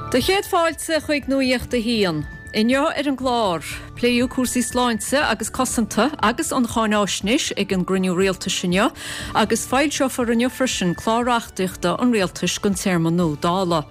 Do chéad fáilte chuig Nuacht a hAon. Inniu ar an gclár, pléadh cúrsaí sláinte agus cosanta agus an cháináisnéis ag an gcruinniú rialtais inniu agus foilseofar inniu freisin clár reachtaíochta an rialtais don téarma nua Dála.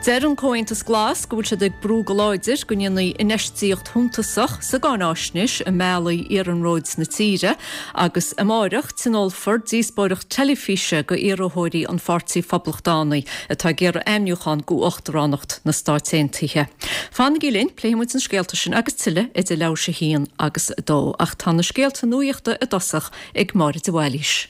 Deir an Comhaontas Glas go bhfuil siad ag brú go láidir go ndéanfaí infheistíocht shuntasach sa gcáináisnéis i mbealaí iarnróid na tíre agus amáireach tionólfar díospóireacht teilifíse go iarrthóirí an Pháirtí Phoblachtánaigh atá ag iarraidh ainmniúchán go Uachtaránacht na Stáit Aontaithe. Fanaigí linn, pléifidh muid na scéalta sin agus tuilleadh idir leathuair théis a haon agus a dó. Ach tá na scéalta nuachta i dtosach ag Máire de Bhailís.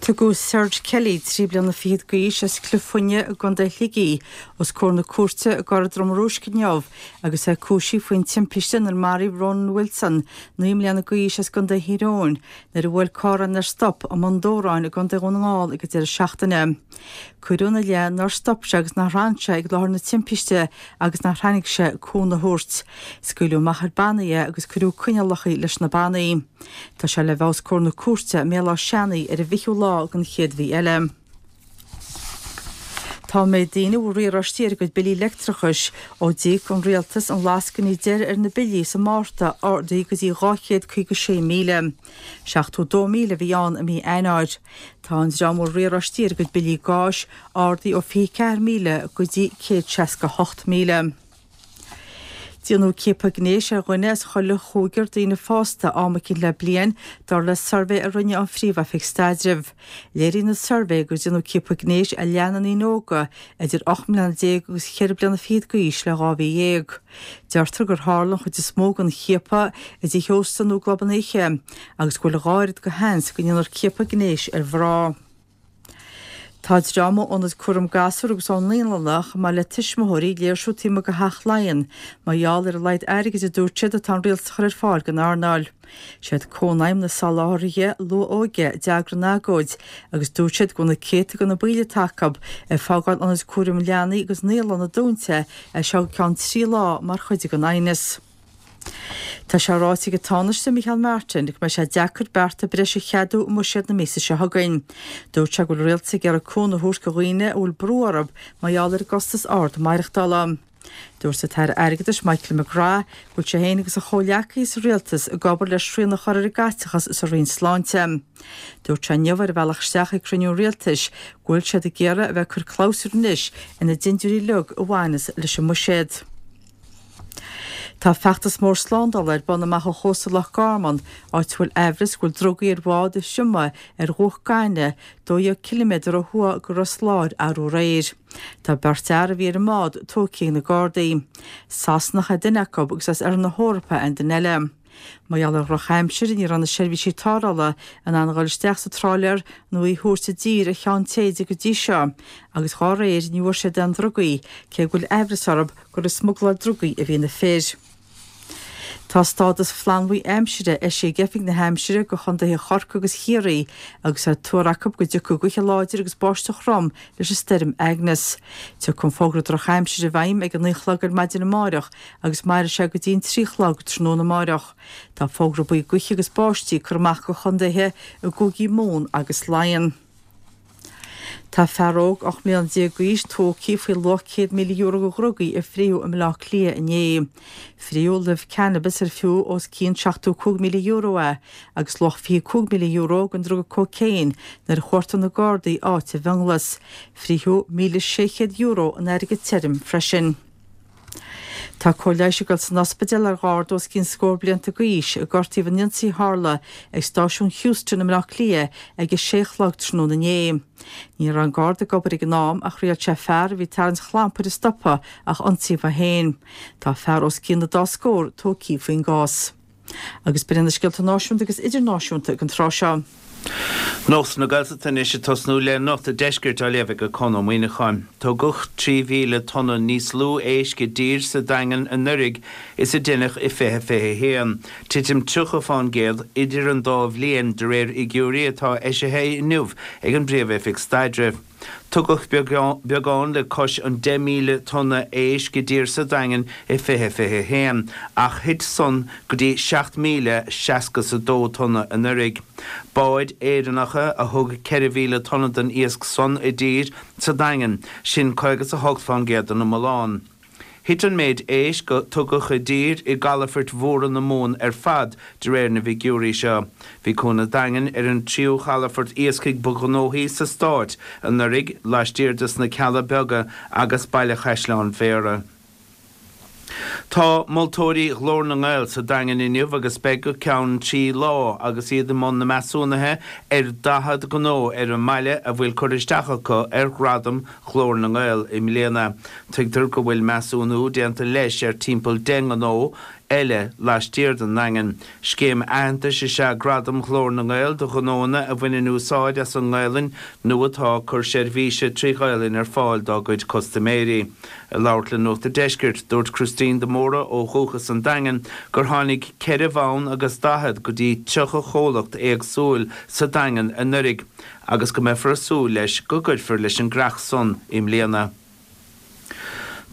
Tugadh Serge Kelly, 23 bliana d'aois, as Cliff Fuinne i gContae Shligigh, os comhair na cúirte i gCora Droma Rúisc inniu agus é cúisithe faoin timpiste inar maraíodh Ronan Wilson, 9 mbliana d'aois, as gContae Thír Eoghain, nuair a bhuail carr é nár stop i mBun Dobhráin i gContae Dhún na nGall ag an deireadh seachtaine. Cuireadh ina leith nár stop sé agus nár fhan sé ag láthair na timpiste agus nár tháinig sé cúnamh a thabhairt. Scaoileadh amach ar bannaí é agus cuireadh coinníollacha leis na bannaí. Tá sé le bheith os comhair na cúirte i mBéal Átha Seanaidh ar an bhfichiú lá den chéad mhí eile. Tá an méid daoine a bhfuil riaráistí ar a gcuid billí leictreachais ó d'íoc an Rialtas an lascaine deiridh ar na billí sa Márta ardaithe go dtí 256,000. 72,000 a bhí ann i mí Eanáir. Tá an dream a bhfuil riaráistí ar a gcuid billí gáis ardaithe ó 24,000 go dtí 168,000. Déanadh ciapadh gnéis ar dhuine as chuile chúigear daoine fásta am eicínt le bliain, dar le suirbhé a rinne an Phríomh-Oifig Staidrimh. Léiríonn an suirbhé gur déanadh ciapadh gnéis ar leath na ndaoine óga idir 18 mbliana agus cheithre bliana fichead d'aois le 12 mhí. Deirtear gur tharla an chuid is mó den chiapadh i dtithe ósta nó i gclubanna oíche agus go bhfuil a dhá oiread de sheans go ndéanfar ciapadh gnéis ar mhná. Tá dream ó Ionad Cúram Gasúr agus ó naíolanna, chomh maith le tuismitheoirí, ag léirsiú taobh amuigh de Theach Laighean mar gheall ar a laghad airgid a dúirt siad atá an rialtas a chur ar fáil don earnáil. Siad Cónaidhm na Soláthraithe Luath-Óige a d'eagraigh an agóid agus dúirt siad go bhfuil na céadta de na baill atá acu ag fágáil ionaid cúraim leanaí agus naíolanna dúnta as seo go ceann 3 lá mar chuid den aighneas. Tá sé ráite ag an Tánaiste Micheál Martin go mbeidh sé deacair bearta breise a cheadú i mbuiséad na míosa seo chugainn. Dúirt sé go bhfuil an rialtas ag iarraidh cúnamh a thabhairt do dhaoine a bhfuil brú orthu mar gheall ar an gcostas ard maireachtála. Dúirt an tAire Airgeadais Michael McGrath go bhfuil sé féin agus a chomhghleacaithe sa rialtas ag obair le srian a chur ar an gcaiteachas sa Roinn Sláinte. Dúirt sé inniu ar a bhealach isteach ag cruinniú an rialtais go bhfuil siad ag iarraidh a bheith ag cur clabhsúir anois ar na dindiúirí uilig a bhaineas leis an mbuiséad. Tá feachtas mór slándála ar bun amach ó chósta Loch Garman, áit a bhfuil aimhreas go bhfuil drugaí ar bhád a thriomaigh ar dhumhach gainimh 12 ciliméadar ó thuaidh go Ros Láir arú aréir. Tá beirt fhear a bhí ar an mbád tógtha ag na Gardaí. Sasanach é duine acu agus as Oirthear na hEorpa an duine eile. Mar gheall ar dhrochaimsir, ní raibh na seirbhísí tarrthála in ann a dhul isteach sa tráiléar nó í a thabhairt i dtír ar Cheann Téide go dtí seo, agus dhá réir ní bhfuair siad aon drugaí, cé go bhfuil aimhreas orthu gur ag smugláil drugaí a bhí na fir. Tá stádas flannbhuí aimsire eisithe ag Oifig na hAimsire do chontaetha Chorcaí agus Chiarraí agus é á tuar acu go dtiocfaidh gaoithe láidir agus báisteach throm leis an stoirm Agnes. Tiocfaidh an fógra drochaimsire i bhfeidhm ag a 9 a chlog ar maidin amáireach agus mairfidh sé go dtí an 3 a chlog tráthnóna amáireach. Tá fógra buí gaoithe agus báistí curtha amach do chontaetha i gcúigí Mumhan agus Laighean. Tá fear óg 18 mbliana d'aois tógtha faoi luach €100,000 de dhrugaí a frítheadh i mBaile Átha Cliath inné. Frítheadh luibh cannabis ar fiú os cionn €75,000 é agus luach €25,000 den druga cócaon nuair a chuartaigh na Gardaí áit i bhFionnghlas. Frítheadh €1,600 in airgead tirim freisin. Tá cóir leighis ag dul san ospidéal ar gharda os cionn scór blianta d'aois a gortaíodh in ionsaí a tharla ag stáisiún Heuston i mBleá Cliath ag a sé a chlog tráthnóna inné. Ní raibh an garda ag obair ag an am ach thriail sé fear a bhí ag tarraingt chlampair a stopadh ach ionsaíodh é féin. Tá fear os cionn an dá scór tógtha faoin gcás. Agus b'in iad na scéalta náisiúnta agus idirnáisiúnta ag an tráth seo. Nuacht na Gaeltachta anois ag tosnú le Nuacht an Deiscirt á léamh ag Conn Ó Muíneacháin. Tugadh 3,000 tonna níos lú éisc i dtír sa Daingean anuraidh is a deineadh i 2021, titim 30 fán gcéad idir an dá bhliain, de réir fhigiúirí atá eisithe inniu ag an bPríomh-Oifig Staidrimh. Tugadh beagán le cois an 10,000 tonna éisc i dtír sa Daingean i 2021, ach thit san go dtí 7,062 tonna anuraidh. Báid Éireannacha a thug 4,000 tonna den iasc san i dtír sa Daingean, sin 58 fán gcéad den iomlán. Thit an méid éisc a tugadh i dtír i gcalafoirt mhóra na Mumhan ar fad, de réir na bhfigiúirí seo. Bhí Cuan an Daingin ar an tríú chalafort iascaigh ba ghnóthaí sa Stát anuraidh, laistiar de sna Cealla Beaga agus Baile Chaisleáin Bhéarra. Tá moltóirí Ghlór na nGael sa Daingean inniu agus beidh go ceann 3 lá agus iad i mbun na measúnaithe ar 40 gnó ar an mbaile a bhfuil curtha isteach acu ar Ghradam Ghlór na nGael i mbliana. Tuigtear go bhfuil measúnú déanta leis ar timpeall 10 ngnó eile laistiar den nDaingean. Scéim aitheantais is ea Gradam Ghlór na nGael do ghnóanna a bhaineann úsáid as an nGaelainn nó atá ag cur seirbhíse trí Ghaelainn ar fáil dá gcuid custaiméirí. Ag labhairt le Nuacht an Deiscirt, dúirt Christine de Mórdha ó Dhúchas an Daingin gur tháinig ceithre bhonn agus daichead go dtí 30 chomhlacht éagsúil sa Daingean anuraidh agus go mbeifear ag súil leis go gcuirfear leis an gcreach san i mbliana.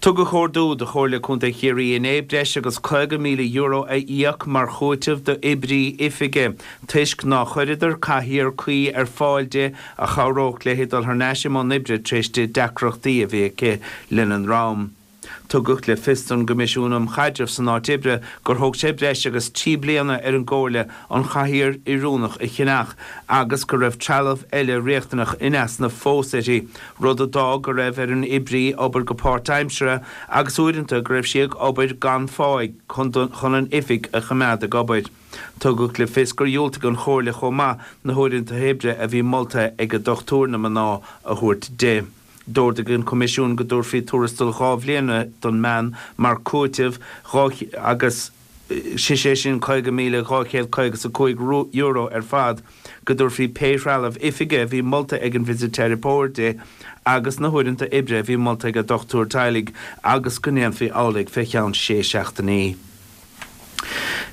Tugadh ordú do Chomhairle Contae Chiarraí inné breis agus €50,000 a íoc mar chúiteamh d'oibrí oifige toisc ná chuireadar cathaoir cuí ar fáil di a chabhródh léi dul thar n-ais i mbun oibre tar éis di deacrachtaí a bhí aici lena ndroim. Tugadh le fios don gCoimisiún um Chaidreamh san Áit Oibre gur thóg sé breis agus 3 bliana ar an gComhairle an chathaoir oiriúnach a cheannach agus go raibh trealamh eile riachtanach in easnamh fós uirthi, rud a d'fhág go raibh ar an oibrí obair go páirtaimseartha agus uaireanta go raibh sí ag obair gan pháigh chun an oifig a choimeád ag obair. Tugadh le fios gur dhiúltaigh an Chomhairle chomh maith na huaireanta oibre a bhí molta ag a dochtúir na mná a thabhairt di. D'ordaigh an Coimisiún go dtabharfaí tuarastal 2 bhliana don mbean mar chúiteamh agus sé sin €50,255 ar fad, go dtabharfaí pé threalamh oifige a bhí molta ag an bhfisiteiripeoir di agus na huaireanta oibre a bhí molta ag a dochtúir teaghlaigh agus go ndéanfaí amhlaidh fé cheann sé seachtainí.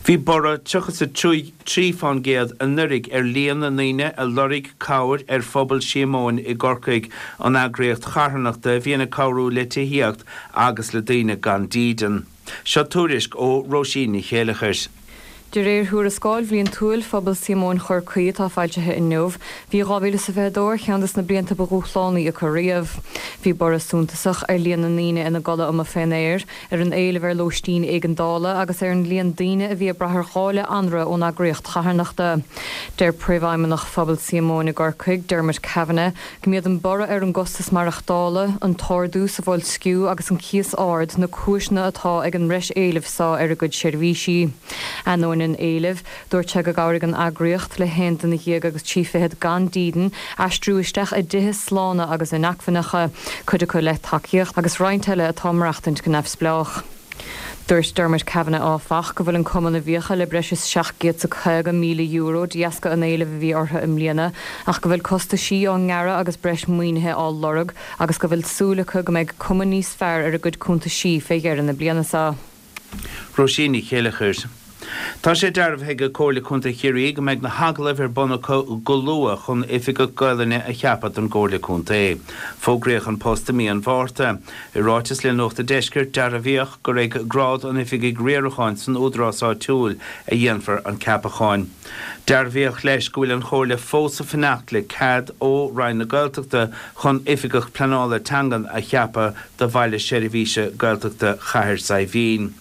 Bhí borradh 33 fán gcéad anuraidh ar líon na ndaoine a lorg cabhair ar Phobal Síomóin i gCorcaigh, an eagraíocht charthanachta a bhíonn ag cabhrú le tithíocht agus le daoine gan dídean. Seo tuairisc ó Róisín Ní Chéileachair. De réir thuarascáil bhliantúil Phobal Síomóin Chorcaí atá foilsithe inniu, bhí 2022 ar cheann de na blianta ba dhúshlánaí acu riamh. Bhí borradh suntasach ar líon na ndaoine ina gcodladh amuigh fén aer, ar an éileamh ar lóistín éigeandála agus ar an líon daoine a bhí ag brath ar dháileadh anraith ón eagraíocht charthanachta. Deir Príomhfheidhmeannach Phobal Síomóin i gCorcaigh, Dermot Kavanagh, go mb'iad an borradh ar an gcostas maireachtála, an t-ardú sa bhoilsciú agus an cíos ard na cúiseanna atá ag an mbreis éilimh seo ar a gcuid seirbhísí. Ainneoin an éilimh, Dúirt sé go gcabhraigh an eagraíocht le haon duine dhéag agus 30 gan dídean aistriú isteach i dtithe slána agus inacmhainneacha, cuid acu le tacaíocht agus roinnt eile atá ag maireachtaint go neamhspleách. Dúirt Dermot Kavanagh áfach go bhfuil an cumann i bhfiacha le breis is €750,000 de dheasca an éilimh a bhí orthu i mbliana ach go bhfuil costaisí á ngearradh agus breis maoinithe á lorg agus go bhfuil súil acu go mbeidh cuma níos fearr ar a gcuid cuntaisí fé dheireadh na bliana seo. Róisín Ní Chéileachair. Tá sé dearbhaithe ag Comhairle Contae Chiarraí go mbeidh na hagallaimh ar bun acu go luath chun Oifigeach Gaelainne a cheapadh don gComhairle Contae. Fógraíodh an post i mí an Mhárta. I ráiteas le Nuacht an Deiscirt, dearbhaíodh gur ag grád an Oifigigh Riaracháin san údarás áitiúil a dhéanfar an ceapachán. Dearbhaíodh leis go bhfuil an Chomhairle fós ag fanacht le cead ó Roinn na Gaeltachta chun Oifigeach Pleanála Teangan a cheapadh do Bhaile Seirbhíse Gaeltachta Chathair Saidhbhín.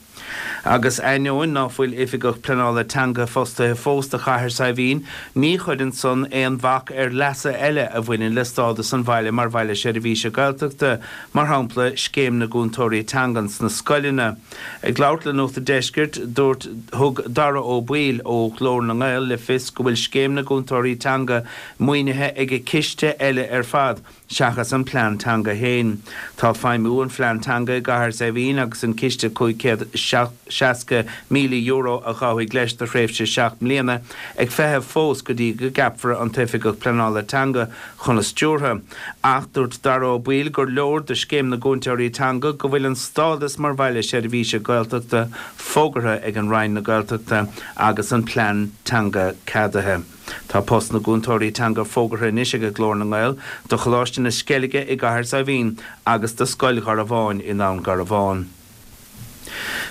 Agus ainneoin ná fuil Oifigeach Pleanála Teanga fostaithe fós do Chathair Saidhbhín, ní chuireann san aon bhac ar leasa eile a bhaineann le stádas an bhaile mar Bhaile Seirbhíse Gaeltachta, mar shampla Scéim na gCúntóirí Teangan sna scoileanna. Ag labhairt le Nuacht an Deiscirt, dúirt thug Dara Ó Baoill ó Ghlór na nGael le fios go bhfuil Scéim na gCúntóirí Teanga maoinithe ag ciste eile ar fad, seachas an plean teanga féin. Tá feidhmiú an phlean teanga i gCathair Saidhbhín agus an ciste €570,000. €60,000 a ghabhfaidh leis do thréimhse 7 mbliana, ag feitheamh fós go dtí go gceapfar an tOifigeach Pleanála Teanga chun a stiúrtha. Ach dúirt Dara Ó Baoill gur leor do Scéim na gCúntóirí Teanga go bhfuil an stádas mar Bhaile Seirbhíse Gaeltachta fógartha ag an Roinn na Gaeltachta agus an plean teanga ceadaithe. Tá post na gcúntóirí teanga fógartha anois ag Glór na nGael do Choláiste na Sceilge i gCathair Saidhbhín agus do Scoil Gharbháin i nDún Garbhán.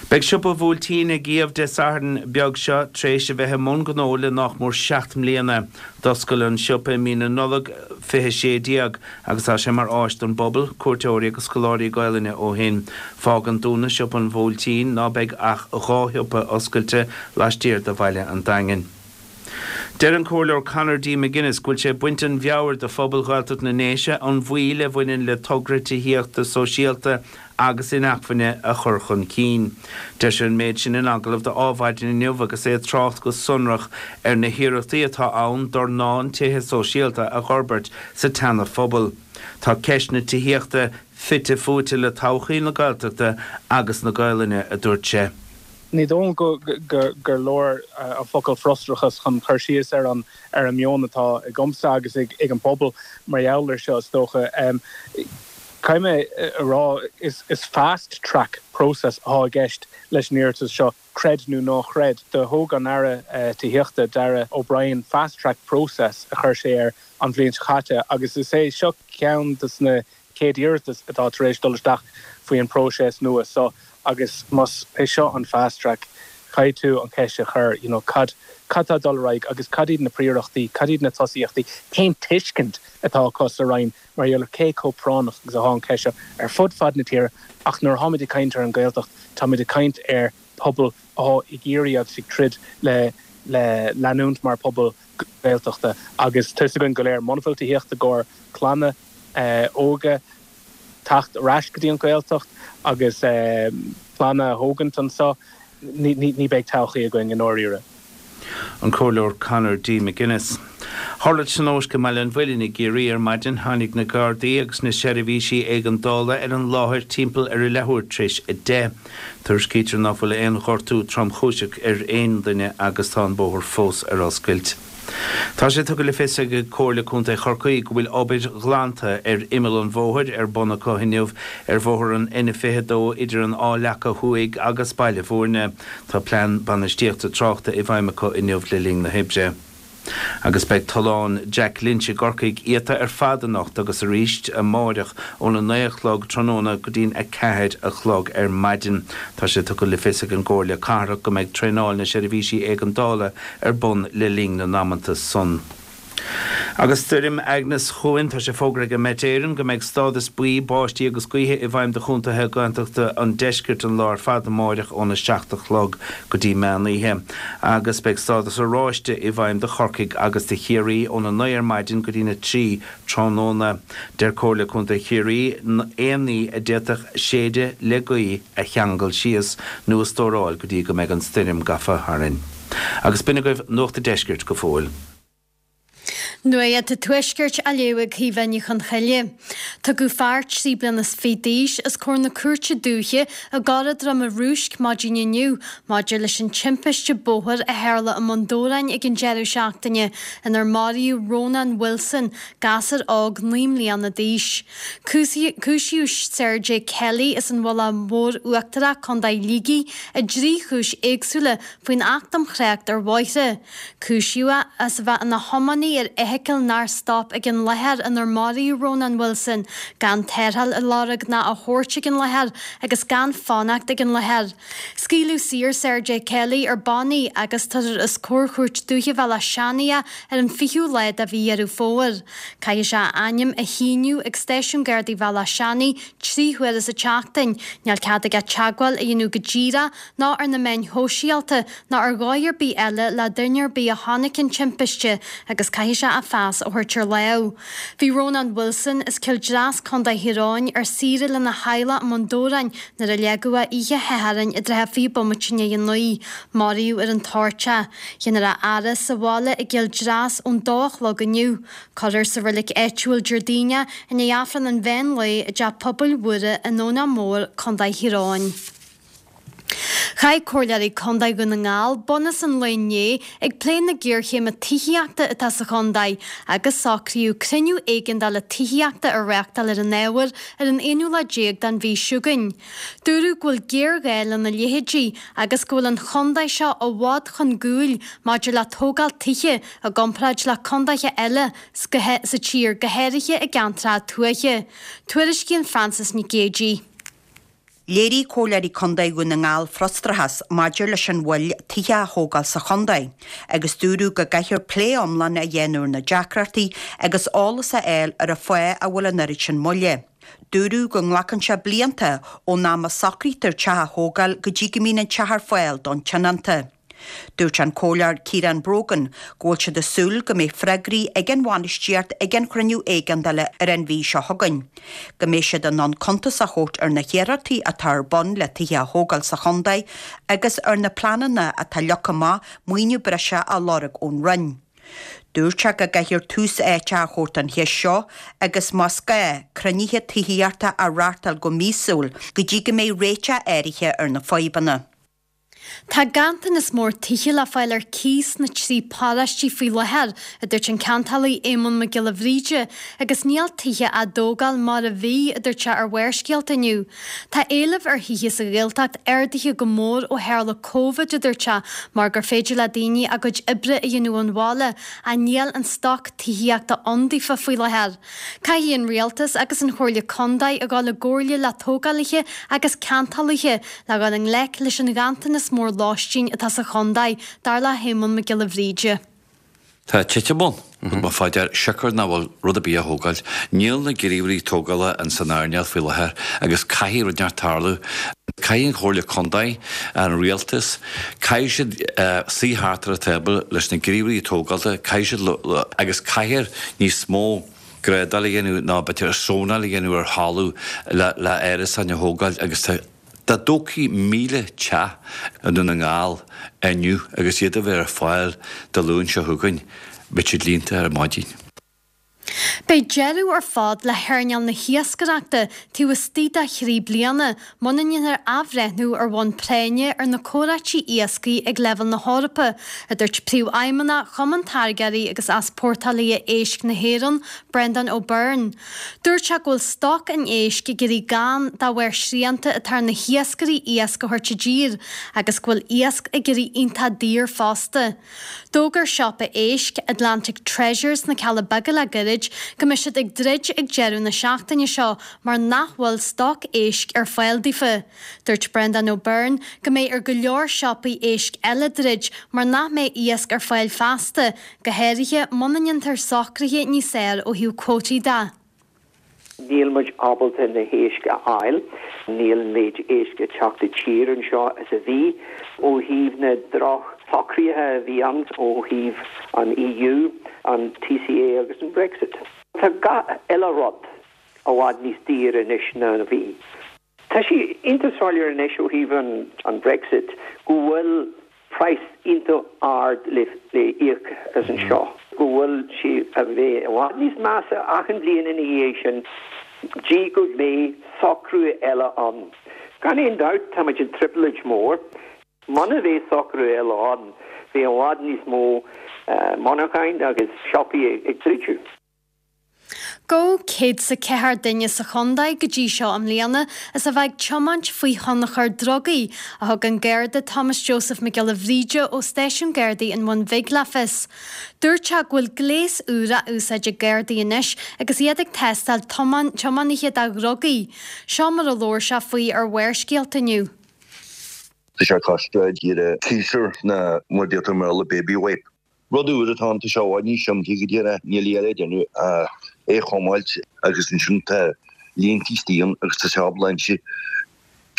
Beidh Siopa Bhuailtín ag iamh Dé Sathairn beag seo tréis a bheith i mbun gnó le nách mór 7 mbliana. D'oscail an siopa i mí na Nollag 2016 agus tá sé mar áis don bpobal, cuairteoirí agus scoláirí Gaolainne ó shin. Fágann dúnadh Siopa an Bhuailtín ná beidh ach 2 shiopa oscailte laistiar de bhaile an Daingin. Deir an Comhairleoir Conor D. McGuinness go bhfuil sé ag baint an mheabhair do phobal Ghaeltacht na nDéise an mhoill a bhaineann le togra tithíochta sóisialta agus inacmhainne a chur chun cinn. Deir sé an méid sin in agallamh do Adhmhaidin inniu agus é ag trácht go sonrach ar na hiarrachtaí atá ann dornán tithe sóisialta a dh'fhorbairt sa tSeana-Phobal. Tá ceist na tithíochta fite fuaite le todhchaí na Gaeltachta agus na Gaolainne, a dúirt sé. Ní dóigh liom gur leor an focal frustrachas chun cur síos ar an ar an meon atá agamsa agus ag an bpobal mar gheall air seo, is dócha. Caithfidh mé a rá, is fast track process atá i gceist leis an iarratas seo, creid nó ná chreid. Do thóg an Aire Tithíochta, Darragh O'Brien, fast track process a chuir sé air an bhliain seo caite agus is é seo ceann de na chéad iarratas atá tar éis dul isteach faoi an próiseas nua so agus más é seo an fast track caithfidh tú an cheist a chur you know cad cad tá ag dul ar aghaidh agus cad iad na príorachtaí, cad iad na tosaíochtaí, cén tuiscint atá acu sa Roinn mar gheall ar cé chomh práinneach agus atá an cheist seo ar fud fad na tíre ach nuair atáimid ag caint ar an Ghaeltacht táimid ag caint ar pobal atá ag iarraidh agus ag troid le le leanúint mar pobal Gaeltachta agus tá 'fhios againn go léir muna bhfuil tithíocht i gcomhair clanna óga teacht ar ais go dtí an Ghaeltacht agus clanna a thógaint anseo, ní beidh todhchaí againn i ndáiríre. An Comhairleoir Conor D. McGuinness. Tharla tionóisc i mBaile an Mhuilinn i gCiarraí ar maidin. Tháinig na Gardaí agus na seirbhísí éigeandála ar an láthair timpeall ar a leathuair tar éis 10. Tuairiscítear ná fuil aon ghortú tromchúiseach ar aon duine agus tá an bóthar fós ar oscailt. Tá sé tugtha le fios ag Comhairle Contae Chorcaí go bhfuil obair ghlanta ar imeall an bhóthair ar bun acu inniu ar bhóthar an N22 idir an Áth Leaca Thuaidh agus Baile Bhúirne. Tá plean bainistíochta tráchta i bhfeidhm acu inniu le linn na hoibre. Agus beidh Tollán Jack Lynch i gCorcaigh iata ar fad anocht agus arís amáireach óna 9 a chlog tráthnóna go dtí'n 4 a chlog ar maidin. Tá sé tugtha le fios ag an gComhairle Cathrach go mbeidh traenáil na seirbhísí éigeandála ar bun le linn na n-amanta san. Agus stoirm Agnes chugainn, tá sé fógartha ag an Met Éireann go mbeidh stádas buí báistí agus gaoithe i bhfeidhm do chontaetha Gaeltachta an deiscirt an lá ar fad amáireach óna 7 a chlog go dtí meán oíche. Agus beidh stádas oráiste i bhfeidhm do Chorcaigh agus do Chiarraí óna 9 ar maidin go dtína 3 tráthnóna. Deir Comhairle Contae Chiarraí aon ní a d'fhéadfadh séideadh le gaoth a cheangal síos nó a stóráil go dtí go mbeidh an stoirm gafa tharainn. Agus b'in agaibh Nuacht a' Deiscirt go fóill. Nuacht an Tuaiscirt á léamh ag Caoimhe Ní Chonchoille. Tugadh fear 23 bliana d'aois os comhair na Cúirte Dúiche i gCora Droma Rúisc maidin inniu maidir leis an timpiste bóthair a tharla i mBun Dobhráin ag an deireadh seachtaine inar maraíodh Rónán Wilson, gasúr óg 9 mbliana d'aois. Cúisíodh Sergey Kelly as an Mhullach Mhór Uachtarach, Co. Shligigh, i dtrí chúis éagsúla faoin Acht um Thrácht ar Bhóithre. Cúisíodh é as a bheith ina thiománaí ar fheithicil nár stop ag an láthair inar maraíodh Rónán Wilson, gan tarrtháil a lorg ná a thabhairt ag an láthair agus gan fanacht ag an láthair. Scaoileadh saor Sergey Kelly ar bannaí agus tabharfar os comhair Chúirt Dúiche Bhéal Átha Seanaidh é ar an 20ú lá de mhí Dheireadh Fómhair. Caithfidh sé a ainm a shíniú ag Stáisiún Gardaí Bhéal Átha Seanaidh 3 huaire sa tseachtain. Níl cead aige teagmháil a dhéanamh go díreach ná ar na meáin shóisialta ná ar dhóigh ar bith eile le duine ar bith a chonaic an timpiste agus caithfidh sé a phas a thabhairt ar láimh. Bhí Rónán Wilson as Cill Dreas, Co. Thír Eoghain, ar saoire lena theaghlach i mBun Dobhráin nuair a leagadh é oíche Shathairn i dtrátha 20 bomaite i ndiaidh a 9. Maraíodh ar an toirt é. Déanfar a fhaire sa bhaile i gCill Dreas ón dó a chlog inniu. Cuirfear sa reilig áitiúil Déardaoin é i ndiaidh Aifreann an mheán lae i dTeach Pobail Mhuire i nDomhnach Mór, Co. Thír Eoghain. Chaith Comhairleoirí Contae Dhún na nGall bunús an lae inné ag plé na géarchéime tithíochta atá sa chontae agus socraíodh cruinniú éigeandála tithíochta a reáchtáil ar an ábhar ar an aonú lá déag den mhí seo chugainn. Dúradh go bhfuil géarghá lena leithéidí agus go bhfuil an chontae seo i bhfad chun gcúil maidir le tógáil tithe i gcomparáid le contaetha eile sa tír, go háirithe i gceantracha tuaithe. Tuairiscíonn Frances Nic Géadaigh. Léirigh Comhairleoirí Contae Dhún na nGall frustrachas maidir leis an mhoill tithe a thógáil sa chontae agus dúradh go gcaithfear plé iomlán a dhéanamh ar na deacrachtaí agus eolas a fháil ar an fáth a bhfuil an oiread sin moille. Dúradh go nglacann sé blianta ón am a socraítear teach a thógáil go dtí go mbíonn an teach ar fáil don tionónta. Dúirt an Comhairleoir Ciarán Brogan go bhfuil siad ag súil go mbeidh freagraí ag an bhainistíocht ag an chruinniú éigeandála ar an mhí seo chugainn, go mbeidh siad in ann cuntas a thabhairt ar na hiarrachtaí atá ar bun le tithe a thógáil sa chontae agus ar na pleananna atá leagtha amach maoiniú breise a lorg ón Roinn. Dúirt sé go gcaithfear tús áite a thabhairt don cheist seo agus más gá, cruinnithe tithíochta a reáchtáil go míosúil go dtí go mbeidh réiteach áirithe ar na fadhbanna. Tá ganntanas mór tithe le fáil ar cíos sna trí paróistí faoi láthair, a dúirt an ceantálaí Éamonn Mac Giolla Bhríde, agus níl tithe á dtógáil mar a bhí, a dúirt sé ar Bharrscéalta inniu. Tá éileamh ar thithe sa Ghaeltacht ardaithe go mór ó tharla Covid, a dúirt sé, mar gur féidir le daoine a gcuid oibre a dhéanamh ón bhaile, ach níl an stoc tithíochta ann daofa faoi láthair. Caithfidh an Rialtas agus an Chomhairle Contae a dhul i gcomhairle le tógálaithe agus ceantálaithe le dhul i ngleic leis an ghanntanas mór lóistín atá sa chontae, dar le hÉamonn Mac Giolla Bhríde. Tá titim ann, rud mar fá dear, siocair nach bhfuil rud ar bith á thógáil. Níl na gníomhairí tógála in san earnáil faoi láthair agus caithfidh rud inteacht tarlú. Caithfidh an Chomhairle Contae, an Rialtas, caithfidh siad suí thart ar an tábla leis na gníomhairí tógála, caithfidh siad, agus caithfear níos mó grádáil a dhéanamh nó b'fhéidir zónáil a dhéanamh ar thalamh le le árasáin a thógáil agus tá dá dtógfaí 1,000 teach i nDún na nGall inniu agus iad a bheith ar fáil Dé Luain seo chugainn, beidh siad líonta ar maidin. Beidh deireadh ar fad le hearnáil na hiascaireachta taobh istigh de thrí bliana muna ndéanfar athbhreithniú ar bhonn práinne ar na comhráití iascaigh ag leibhéal na hEorpa, a dúirt Príomhfheidhmeannach Chumann Táirgeoirí agus Easpórtálaithe Éisc na hÉireann, Brendan O'Byrne. Dúirt sé go bhfuil stoc an éisc ag éirí gann de bharr srianta atá ar na hiascairí iasc a thabhairt i dtír agus go bhfuil iasc ag éirí iontach daor fosta. D'fhógair siopa éisc, Atlantic Treasures sna Cealla Beaga le gairid go mbeidh siad ag druid ag deireadh na seachtaine seo mar nach bhfuil stoc éisc ar fáil daofa. Dúirt Brendan O'Byrne go mbeidh ar go leor siopaí éisc eile druid mar nach mbeidh iasc ar fáil feasta, go háirithe muna ndéantar socruithe níos fearr ó thaobh cuótaí de. Níl muid ábalta na héisc a fháil. Níl an méid éisc ag teacht i tír anseo is a bhí. Ó thaobh na droch-shocruithe a bhí ann ó thaobh an EU, an TCA agus an Brexit. Tá gach uile rud i bhfad níos daoire anois ná a bhí. Tá sé iontach soiléir anois ó thaobh an Brexit go bhfuil praghas iontach ard le íoc as anseo, go bhfuil sé a bheith i bhfad níos measa achan bhliain ina dhiaidh sin dtí go mbeidh socrú eile ann. Gan aon dabht tá muid i dtrioblóid mhór. Muna mbeidh socrú eile ann beidh i bhfad níos mó monarcháin agus siopaí ag druidiú. Gabhadh 104 duine sa chontae go dtí seo i mbliana as a bheith ag tiomáint faoi thionchar drugaí, a thug an Garda Thomas Joseph Mac Giolla Bhríde ó Stáisiún Gardaí an Bhun Bhig le fios. Dúirt sé go bhfuil gléas úr á úsáid ag Gardaí anois agus iad ag tástáil tiománaithe do dhrugaí. Seo mar a labhair sé faoi ar Bharrscéalta inniu. Tá sé cosúil le teaser nó mar a deirtear i mBéarla baby wipe. Rud úr atá ann, tá sé i bhfad níos simplí go díreach, níl a dhath le déanamh ach é a chóimeáilt agus ansin tá línte istigh ann agus tá sé ábalta inse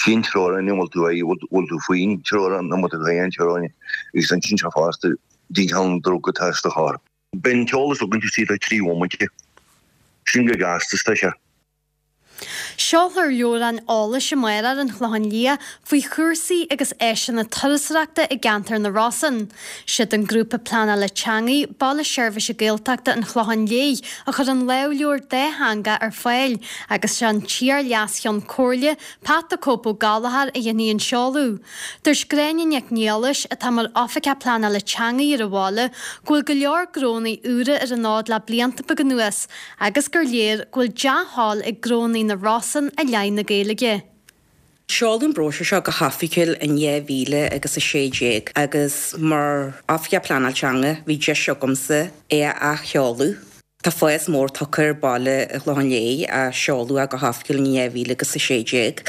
cén teorainn a bhfuil tú aghaidh, bhfuil tú faoin teorainn nó bhfuil tú thar an teorainn agus insíonn sé fosta cén cineál druga atá sa charr. Beidh an t-eolas againn taobh istigh de thrí bhomaite. Sin go gasta is tá sé. Seolfar leabhrán eolais amárach ar an Chlochán Liath faoi chúrsaí agus áiseanna turasóireachta i gceantar na Rosann. Siad an Grúpa Pleanála Teangaí, Baile Seirbhíse Gaeltachta an Chlocháin Léith a chuir an lámhleabhar dátheangach ar fáil agus sé an t-iar-Leas-Cheann Comhairle, Pat 'The Cope' Ó Gallchóir a dhéanfaidh an seoladh. Dúirt Gráinne Nic Niallais, atá mar Oifigeach Pleanála Teangaí ar an bhaile, go bhfuil go leor gnónnaí úra ar an fhód le blianta beaga anuas agus gur léir go bhfuil dea-thoil ag gnónnaí na Rosann i leith na Gaeilge. Seoladh an bróisiúr seo go hoifigiúil in 2016 agus mar Oifigeach Pleanáil Teanga bhí deis agamsa é a athsheoladh. Tá fás mór tugtha ar bhaile an Chlocháin Léith ó seoladh é go hoifigiúil in 2016.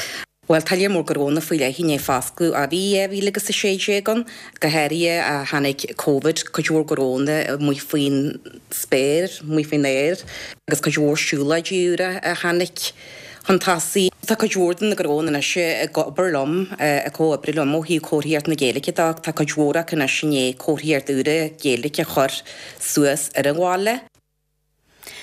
Bhuel, tá léar mór gnónna faoi leith i ndiaidh foscladh ó bhí 2016 ann, go háirithe ó tháinig Covid, cuid mhór gnónna amuigh faoin spéir, amuigh faoin aer, agus cuid mhór siúlóidí úra a tháinig chun tosaigh. Tá cuid mhór de na gnónna anois ag obair liom, ag comhoibriú liom ó thaobh comharthaíocht na Gaeilge de. Tá cuid mhór acu anois i ndiaidh comharthaíocht úra Gaeilge a chur suas ar an bhaile.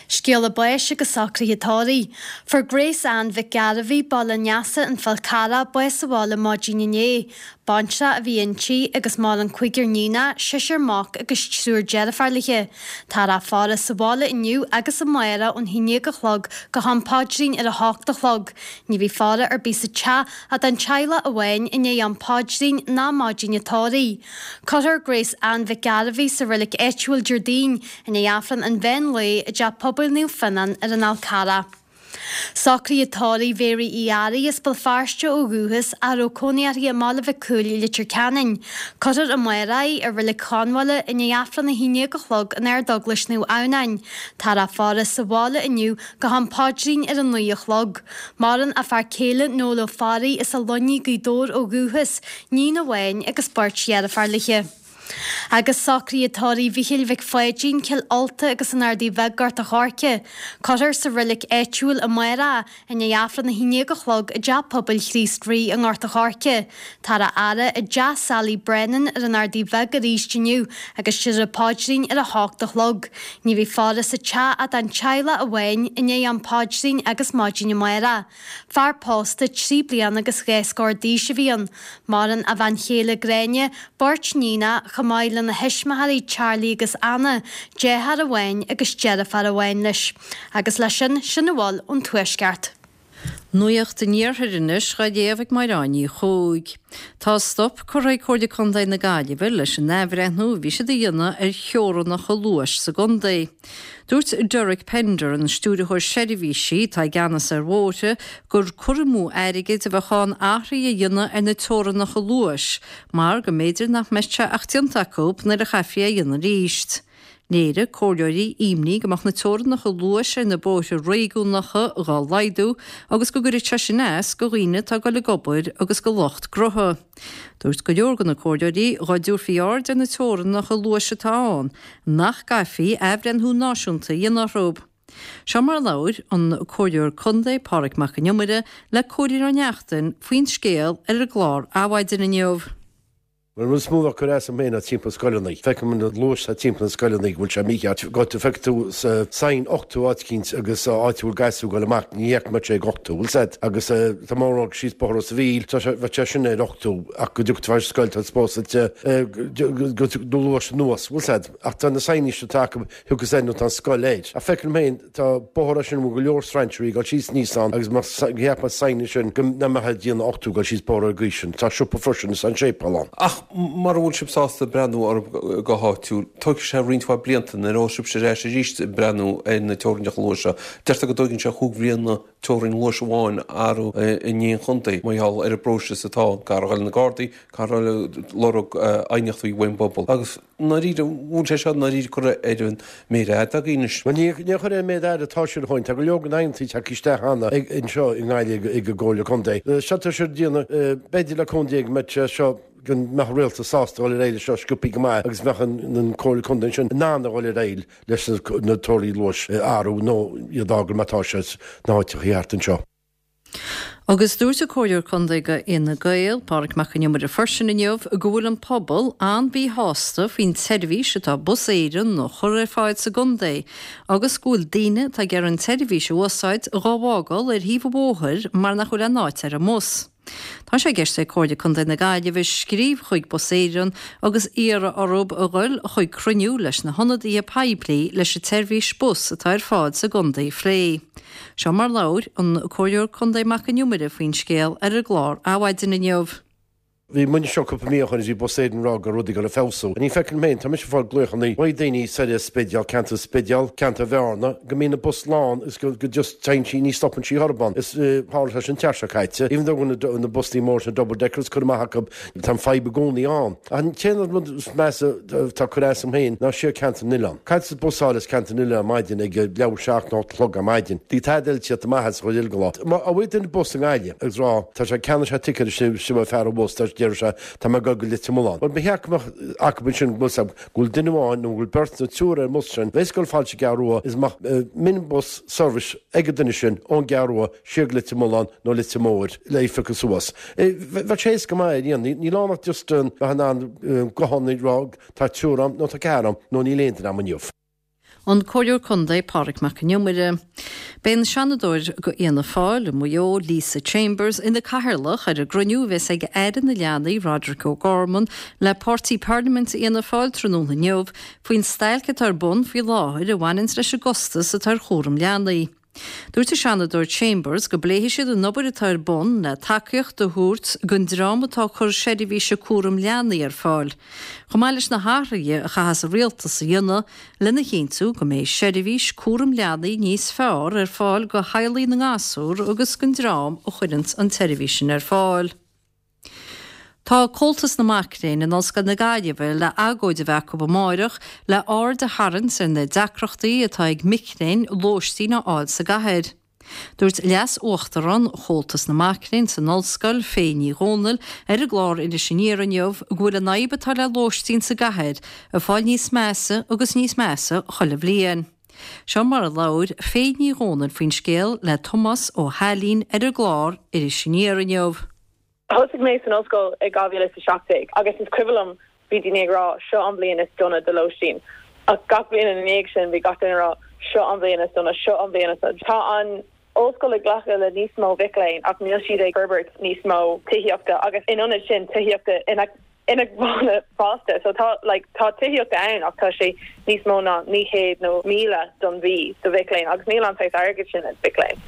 Scéala báis agus socruithe tórraimh. Fuair Grace Ann Mhic Gairbhí, Baile an Easa, An Fál Carrach, bás sa bhaile maidin inné. Baintreach a bhí inti agus maireann cúigear níonach, seisear mac agus triúr deirfiúr léi. Táthar á faire sa bhaile inniu agus amárach ón 11 a chlog go ham paidrín ar a hocht a chlog. Ní bheidh faire ar bith sa teach ach don teaghlach amháin i ndiaidh am paidrín ná maidin an tórraimh. Cuirfear Grace Ann Mhic Gairbhí sa reilig áitiúil Déardaoin i ndiaidh Aifreann an mheán lae i dTeach Pobail Naomh Fionnán ar an Fhál Carrach. Socruithe tórraimh Mhéaraí Uí Fhearraigh as Béal Feirste ó dhúchas ach a raibh cónaí uirthi i mBaile Mhic Cumhaill i Leitir Ceanainn. Cuirfear amárach í i Reilig Chonbhaile i ndiaidh Aifreann 11 a chlog in Ardeaglais Naomh Adhamhnáin. Táthar á faire sa bhaile inniu go ham paidrín ar a 9 a chlog. Maireann a fear céile Noel Ó Fearraigh as An Luinnigh, Gaoth Dobhair ó dhúchas, níon amháin agus beirt dheirféar léi. Agus socruithe tórraimh Mhíchíl Mhic Pháidín, Cill Ulta agus an Ardaidh Bheag, Gort a' Choirce. Cuirfear sa reilig áitiúil amárach i ndiaidh Aifreann 11 a chlog i dTeach Pobail Chríost Rí i nGort a' Choirce. Táthar á fhaire i dteach Sally Brennan ar an Ardaidh Bheag arís inniu agus déarfar paidrín ar a hocht a chlog. Ní bheidh faire sa teach ach don teaghlach amháin i ndiaidh am paidrín agus maidin amárach. Fear pósta trí bliana agus dhá scór d'aois a bhí ann. Maireann a bhean chéile Gráinne, beirt níonach, chomh maith lena thuismitheoirí Charlie agus Anna, deartháir amháin agus deirfiúr amháin leis. Agus leis sin, sin a bhfuil ón Tuaisceart. Nuacht an Iarthair anois dhá léamh ag Máire Ní Chuaig. Tá stop curtha ag Comhairle Contae na Gaillimhe leis an athbhreithniú a bhí siad a dhéanamh ar theorannacha luais sa gcontae. Dúirt Derek Pender, an Stiúrthóir Seirbhísí atá i gceannas ar bhóithre, gur cur amú airgid a bheadh ann athruithe a dhéanamh ar na teorannacha luais mar go mb'fhéidir nach mbeadh sé ach déanta acu nuair a chaithfí é a dhéanamh arís. Léirigh comhairleoirí imní go mbeadh na teorannacha luais ar na bóithre réigiúnacha dhá laghdú agus go gcuirfeadh sé sin as go dhaoine atá ag dul ag obair agus go lucht gnótha. Dúirt go leor de na comhairleoirí dhá dtabharfaí aird ar na teorannacha luais atá ann, nach gcaithfí athbhreithniú náisiúnta a dhéanamh orthu. Seo mar a labhair an Comhairleoir Contae Pádraig Mac Con Iomaire le Cóilín Ó Neachtain faoin scéal ar an gclár Adhmhaidin inniu. An rud is mó a chuir as dom féin ná timpeall scoileanna. Feicim an luas atá timpeall na scoileanna go bhfuil sé mícheart. Go feicfidh tú sign 80 áit eicínt agus áit a bhfuil gasúir ag dul amach ní fheicfidh muid sé ag 80, bhfuil 's a'd? Agus tá mé ag rá síos Bóthar Ros a' Mhíl, tá sé, bheadh sé sin ar 80 ach go dtiocfaidh tú ar scoil tá suppose go do luas anuas, bhfuil 's a'd? Ach tá na signs atá acu thiocfas air nó tá an scoil air. Ach feicim féin Tá bóthar ansin a bhfuil go leor strainséirí ag dul síos aníos ann agus má cheap mé sign ansin go mbeifeá ag déanamh 80 ag dul síos bóthar ar an gcaoi sin. Tá siopa freisin is an séipéal ann. Ach mura bhfuil sibh sásta breathnú orthu go háitiúil, tógfaidh sé roinnt mhaith blianta nuair a bheas sibhse ar ais arís ag breathnú ar na teorainneacha luais seo. Deirtear go dtóigeann sé chúig bhliana teorainn luais amháin a athrú in aon chontae mar gheall ar an bpróiseas atá ann. Caithfear a dhul na Gardaí, caithfear a dhul ag lorg aighneachtaí ón bpobal agus. I ndáiríre, bhfuil sé seo i ndáiríre curtha ar an méar fhada agaibh anois? Bhuel, níor curtha ar an méar fhada atá siad a Chóilín. Tá go leor den aighneachtaí tagtha isteach cheana anseo i nGaillimh ag an gComhairle Contae. Seo tá siad ag déanamh, b'fhéidir le cúnamh Dé go mbeidh sé seo, go mbeadh an rialtas sásta dul ar aghaidh leis seo sciobthaí go maith agus bheadh an Comhairle Contae ansin in ann a dhul ar aghaidh leis na teorainneacha luais a athrú nó iad a fhágáil mar atá sé sna háiteacha thart anseo. Agus dúirt an Comhairleoir Contae do Fhine Gael, Pádraig Mac Con Iomaire freisin inniu go bhfuil an pobal an-mhíshásta faoin tseirbhís atá Bus Éireann a chur ar fáil sa gcontae agus go bhfuil daoine atá ag iarraidh an tseirbhís a úsáid dhá bhfágáil ar thaobh an bhóthair mar nach bhfuil aon áit ar an mbus. Tá sé i gceist ag Comhairle Contae na Gaillimhe scríobh chuig Bus Éireann agus iarraidh orthu a ghoil chuig cruinniú leis na hionadaithe poiblí leis an tseirbhís bus atá ar fáil sa gcontae a phlé. Seo mar labhair an Comhairleoir Contae Mac Con Iomaire faoin scéal ar an gclár Adhmhaidin inniu. Bhí muid anseo cúpla mí ó shoin agus bhí Bus Éireann ag rá go raibh rudaí ag dul ag feabhsú. Ní feicim féin, tá mise ag fáil glaochanna ó dhaoine soir as Spidéal, ceantar Spidéal, ceantar Bhearna, go mbíonn an bus lán agus go go just téann sí, ní stopann sí chor ar bith ann. Is tharla sé sin an tseachtain seo caite. Even though go bhfuil na bustaí móra sin, double deckers curtha amach acu, tá an fadhb i gcónaí ann. Ach an t-aon rud is measa atá ag cur as dom féin ná siar ceantar na nOileán. Caithfidh tú bus a fháil as ceantar na nOileán ar maidin ag leathuair tar éis 7 nó 8 a chlog ar maidin. Tig tada eile tíocht amach as an chuid eile den lá. Má bhfuil duine bus i nGaillimh agus rá, tá sé ceannaigh sé ticéad is sin fear an bhus, tá deir sé, tá mé ag dul go Leitir Mealláin. Bhuel, ba cheart go mbeadh acu ansin go bhfuil go bhfuil duine amháin nó go bhfuil beirt nó triúr ar an mbus sin, bheas ag dul fad sa gCeathrú Rua is go mbeadh minibus service ag an duine sin ón gCeathrú Rua siar go Leitir Mealláin nó Leitir Móir le é a phiocadh suas. Bheadh sé éasca maith a dhéanamh. Níl ann ach just bheith in ann guthán a rá tá triúr ann nó tá ceathrar ann nó níl aon duine ann inniu. An Comhairleoir Contae Pádraig Mac Con Iomaire. Beidh an Seanadóir do Fhianna Fáil i Maigh Eo, Lisa Chambers, ina cathaoirleach ar an gcruinniú a bheas ag Aire na Leanaí, Roderic O'Gorman, le Páirtí Parlaiminte Fhianna Fáil tráthnóna inniu faoin stailc atá ar bun faoi láthair a bhaineanns leis an gcostas atá ar chúram leanaí. Dúirt an Seanadóir Chambers go bpléifidh siad an obair atá ar bun le tacaíocht a thabhairt don dream atá ag cur seirbhíse cúram leanaí ar fáil, chomh maith leis na hathruithe a chaithfeas an rialtas a dhéanamh lena chinntiú go mbeidh seirbhís cúram leanaí níos fearr ar fáil do theaghlaigh na ngasúr agus don dream a chuireanns an tseirbhís sin ar fáil. Tá Comhaltas na Mac Léinn in Ollscoil na Gaillimhe le agóid a bheith acu amáireach le aird a tharraingt ar na deacrachtaí atá ag mic léinn lóistín a fháil sa gcathair. Dúirt Leas-Uachtarán Chomhaltas na Mac Léinn san Ollscoil, Faye Ní Dhomhnaill, ar an gclár Iris Aniar inniu go bhfuil an fhadhb atá le lóistín sa gcathair ag fáil níos measa agus níos measa chuile bhliain. Seo mar a labhair Faye Ní Dhomhnaill faoin scéal le Tomás Ó hAilín ar an gclár Iris Aniar inniu. Thosaigh mé san ollscoil i 2017 agus is cuimhin liom bhí daoine ag rá seo an bhliain is dona do lóistín ach gach bliain ina ndiaidh sin bhí gach duine ag rá seo an bhliain is dona, seo an bhliain is dona. Tá an ollscoil ag glacadh le níos mó mhic léinn ach níl siad ag forbairt níos mó tithíochta agus in ionad sin tithíochta inacmhainne fosta. So tá like tá tithíocht ann ach tá sé níos mó ná 900 nó 1,000 don mhí do mhic léinn agus níl an saghas airgid sin ag mic léinn.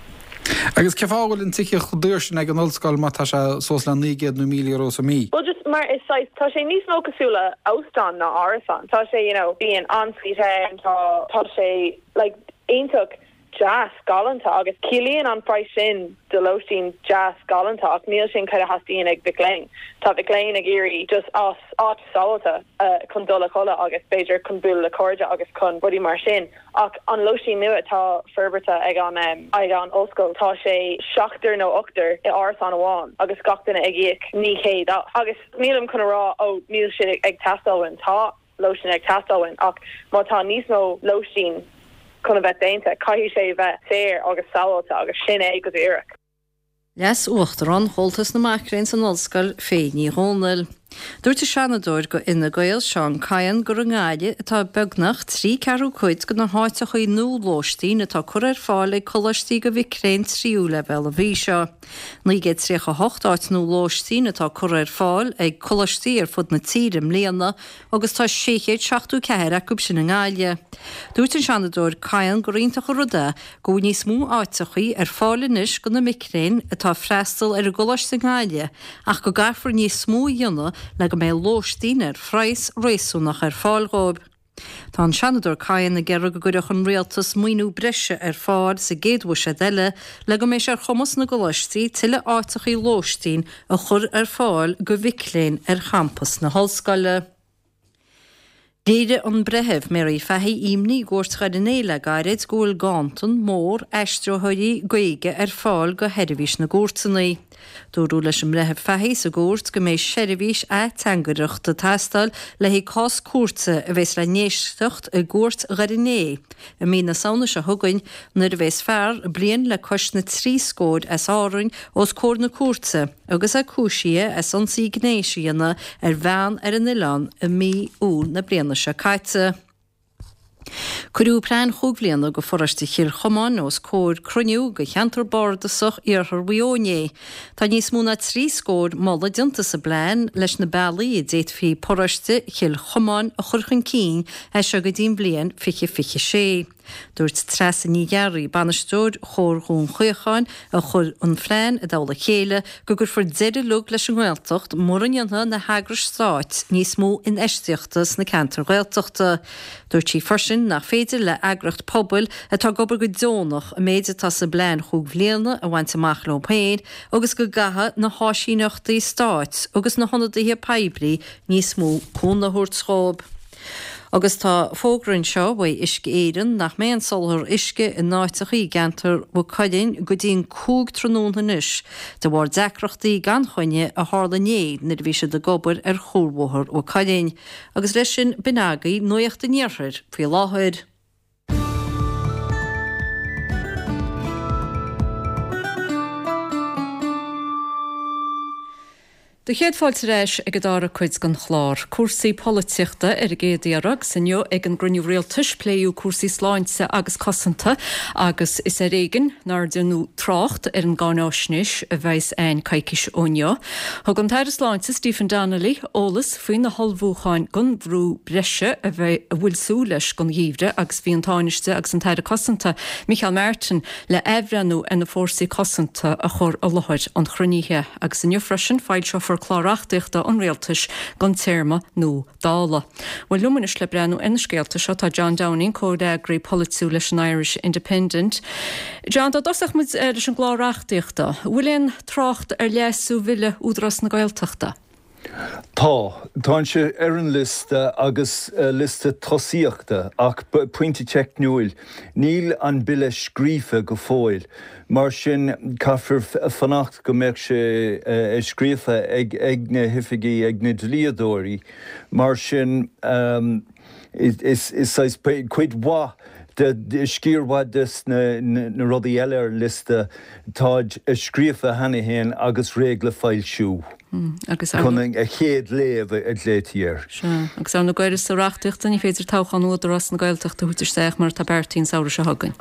Agus cén fáth a bhfuil an tithíocht chomh daor sin ag an ollscoil má tá sé suas le 900 nó €1,000 sa mí? Well just mar is saghas tá sé níos mó cosúil le óstán ná árasán. Tá sé you know bíonn ensuite ann tá tá sé like iontach deas galánta agus ciallaíonn an praghas sin do lóistín deas galánta ach níl sin cad a theastaíonn ag mhic léinn. Tá mhic léinn ag iarraidh just áit áit sábháilte chun dul a chodladh agus b'fhéidir chun bualadh le cairde agus chun rudaí mar sin ach an lóistín nua atá forbartha ag an ag an ollscoil tá sé seachtar nó ochtar i árasán amháin agus gach duine ag íoc 900 as agus nílim chun a rá ó níl sé ag teastáil uainn tá lóistín ag teastáil uainn ach má tá níos mó lóistín chun a bheith déanta, caithfidh sé a bheith saor agus sábháilte agus sin é go díreach. Leas-Uachtarán Chomhaltas na Mac Léinn san Ollscoil, Faye Ní Dhomhnaill. Dúirt an Seanadóir do Fhine Gael, Seán Kyne, gur i nGaillimh atá beagnach tri ceathrú cuid de na háiteachaí nua lóistín atá curtha ar fáil ag coláistí do mhic léinn tríú leibhéal an mhí seo. 938 áit nua lóistín atá curtha ar fáil ag coláistí ar fud na tíre i mbliana agus tá 674 acu sin i nGaillimh. Dúirt an Seanadóir Kyne gur iontach an rud é go bhfuil níos mó áiteachaí ar fáil anois do na mic léinn atá ag freastal ar an gcoláiste i nGaillimh ach go gcaithfear níos mó a dhéanamh le go mbeidh lóistín ar phraghas réasúnach ar fáil dhóibh. Tá an Seanadóir Kyne ag iarraidh go gcuirfeadh an Rialtas maoiniú breise ar fáil sa gcéad bhuiséad eile le go mbeidh sé ar chumas na gcoláistí tuilleadh áiteachaí lóistín a chur ar fáil do mhic léinn ar champas na hollscoile. Léirigh an Breitheamh Mary Fahy imní i gCúirt Dhoire an Fhéich le gairid go bhfuil ganntan mór aistritheoirí Gaeilge ar fáil do sheirbhís na gcúirteanna. Dúradh leis an mBreitheamh Fahy sa gcúirt go mbeidh seirbhís ateangaireachta ag teastáil le haghaidh cás cúirte a bheas le n-éisteacht i gCúirt Dhoire Né i mí na Samhna seo chugainn nuair a bheas fear bliain le cois na dtrí scóir as Árainn os comhair na cúirte agus é cúisithe as ionsaí gnéis a dhéanamh ar bhean ar an oileán i mí Iúil na bliana seo caite. Cuireadh plean chúig bhliana go pharóiste Chill Chomáin os comhair cruinniú go cheantar bardasach Iarthar Mhaigh Eo inné. Tá níos mó ná 30 scór moladh déanta sa bplean leis na bealaí a d'fhéadfaí paróiste Chill Chomáin a chur chun cinn as seo go dtí an bhliain 2026. Dúirt Treasa Ní Ghearraigh, bainisteoir Chomhar Dhún Chaocháin, a chuir an phlean i dtoll a chéile, go gcuirfear deireadh uilig leis an nGaeltacht mura ndéanfaidh na heagrais stáit níos mó infheistíochta sna ceantair Ghaeltachta. Dúirt sí freisin nach féidir le eagraíocht pobail atá ag obair go deonach an méid atá sa bplean chúig bhliana a bhaint amach leo féin agus go gcaithfidh na háisíneachtaí stáit agus na hionadaithe poiblí níos mó cúnamh a thabhairt dhóibh. Agus tá fógra anseo uaidh Uisce Éireann nach mbeidh an soláthar uisce in áiteachaí i gceantar Mhaigh Cuilinn go dtí an 5 tráthnóna anois de bharr deacrachtaí gan choinne a tharla inné nuair a bhí siad ag obair ar Chuarbhóthar Mhaigh Cuilinn. Agus leis sin, b'in agaibh Nuacht an Iarthair faoi láthair. Do chéad fáilte ar ais ag an dara cuid den chlár. Cúrsaí polaitíochta ar an gcéad iarraidh agus inniu ag an gcruinniú rialtais pléadh cúrsaí sláinte agus cosanta agus is ar éigin nár deineadh trácht ar an gcáináisnéis a bheas a'inn coicís ó inniu. Thug an tAire Sláinte Stephen Donnelly eolas faoi na hullmhúcháin don bhrú breise a bheidh a bhfuil súil leis don gheimhreadh agus bhí an Tánaiste agus an tAire Cosanta Micheál Martin le athbhreithniú ar na fórsaí cosanta a chur i láthair an chruinnithe. Agus inniu freisin foilseofar clár reachtaíochta an Rialtais don téarma nua Dála. Bhuel liom anois le breathnú ar na scéalta seo tá John Downing, comhfhreagraí polaitiúil leis an Irish Independent. John, dá dtosódh muid leis an gclár reachtaíochta, an bhfuil aon trácht ar leasú Bhille Údarás na Gaeltachta? Tá. Tá sé ar an liosta agus liosta tosaíochta ach pointe teicniúil, níl an bille scríofa go fóill. Mar sin caithfear fanacht go mbeadh sé scríofa ag na hoifigí, ag na dlíodóirí. Mar sin is saghas cuid mhaith de, sciar mhaith des na rudaí eile ar an liosta, táid scríofa cheana féin agus réidh le foilsiú. Agus ar. Chun an chéad léamh a ghlaoití air. Sea. Agus ar na uireasa reachtaíochta, ní féidir toghchán Údarás na Gaeltachta a thabhairt isteach mar atá beartaithe an samhradh seo chugainn.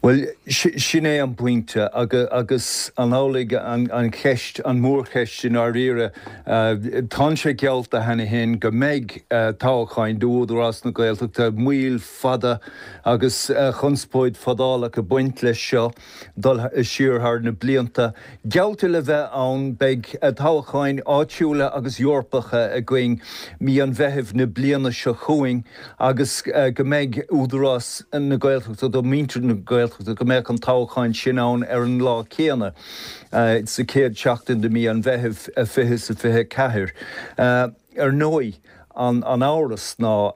Bhuel, sin é an pointe agus an amhlaidh an cheist, an mhórcheist i ndáiríre. Tá sé geallta cheana féin go mbeidh toghcháin d'Údarás na Gaeltachta, moill fada agus conspóid fadálach ag baint leis seo. dul siar thar na blianta. Geallta le bheith ann, beidh toghcháin áitiúla agus Eorpacha againn mí an Mheithimh na bliana seo chugainn agus go mbeidh Údarás na Gaeltachta do mhuintir na Gaeltachta, go mbeadh an toghchán sin ann ar an lá céanna, sa chéad seachtain de mí an Mheithimh 2024. Ar ndóigh, an amhras ná,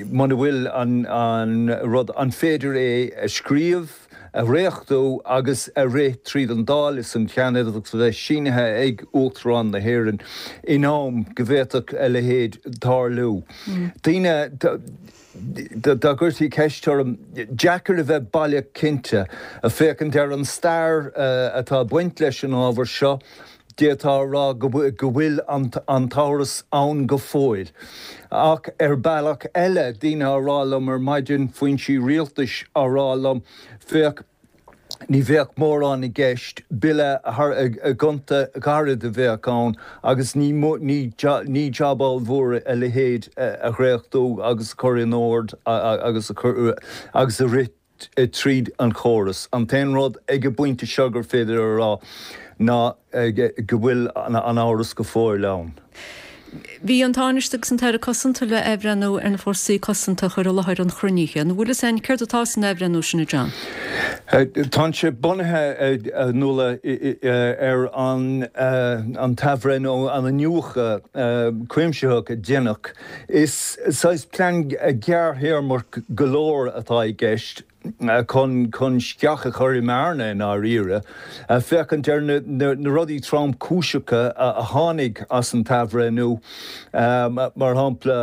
muna bhfuil an rud, an féidir é a scríobh, a dhréachtú agus a rith tríd an Dáil is an Seanad agus a bheith sínithe ag Uachtarán na hÉireann in am go bhféadfadh a leithéid tarlú. Daoine, dá gcuirtí ceist orm, deacair a bheith baileach cinnte. Féachaint ar an stair atá ag baint leis an ábhar seo, D'fhéadfá a rá go bhfuil an t-amhras ann go fóill. Ach ar bealach eile, daoine á rá liom ar maidin, foinsí rialtais á rá liom, féach, ní bheadh mórán i gceist, bille gonta gairid a bheadh ann agus ní ní jab ollmhór a leithéid a dhréachtú agus a chur in ord agus a chur agus a rith tríd an chóras. An t-aon rud ag an bpointe seo gur féidir a rá ná go bhfuil an amhras go fóill ann. Bhí an Tánaiste agus an tAire Cosanta le athbhreithniú ar na fórsaí cosanta a chur i láthair an chruinnithe. An bhfuil fhios a'inn céard atá san athbhreithniú sin, a John? Tá sé bunaithe, a Nuala, ar an t-athbhreithniú, an iniúchadh cuimsitheach a deineadh. Is saghas plean gearrthéarmach go leor atá i gceist. chun chun sceach a chur i mbearna i ndáiríre, féachaint ar na na rudaí tromchúiseacha a tháinig as an t-athbhreithniú, mar shampla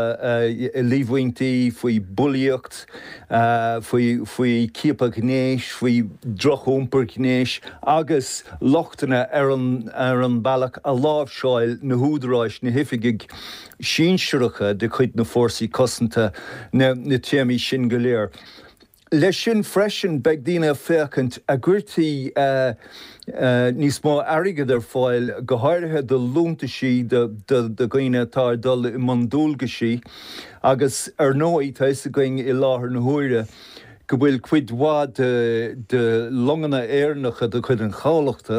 líomhaintí faoi bhulaíocht, faoi faoi chiapadh gnéis, faoi dhroch-iompar gnéis agus lochtanna ar an ar an bealach a láimhseáil na húdaráis, na hoifigigh sinsearacha de chuid na Fórsaí Cosanta na téamaí sin go léir. Leis sin freisin beidh daoine ag féachaint a gcuirtí níos mó airgid ar fáil, go háirithe do liúntaisí do dhaoine atá ag dul i mbun dualgaisí agus ar ndóigh tá fhios againn i láthair na huaire go bhfuil cuid mhaith de longanna Éireannacha de chuid an chabhlachta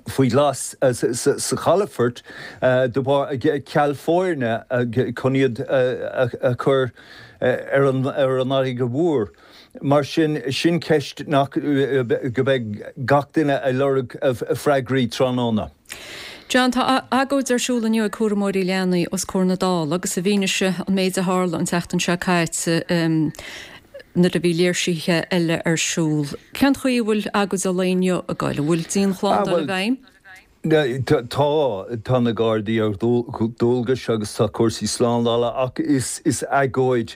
faoi ghlas sa chalafort de bharr ceal foirne chun iad a chur ar an fharraige mhór. Mar sin, sin ceist nach go mbeidh gach duine ag lorg freagraí tráthnóna. John, tá agóid ar siúl inniu ag cúramóirí leanaí os comhair na Dála agus i bhfianaise an méid a tharla an tseachtain seo caite, nuair a bhí léirsithe eile ar siúl. Cén chaoi a bhfuil agóid an lae inniu ag goil? An bhfuil dianshlándáil i bhfeidhm? Tá, tá na Gardaí ar dualgas agus tá cúrsaí slándála ach is agóid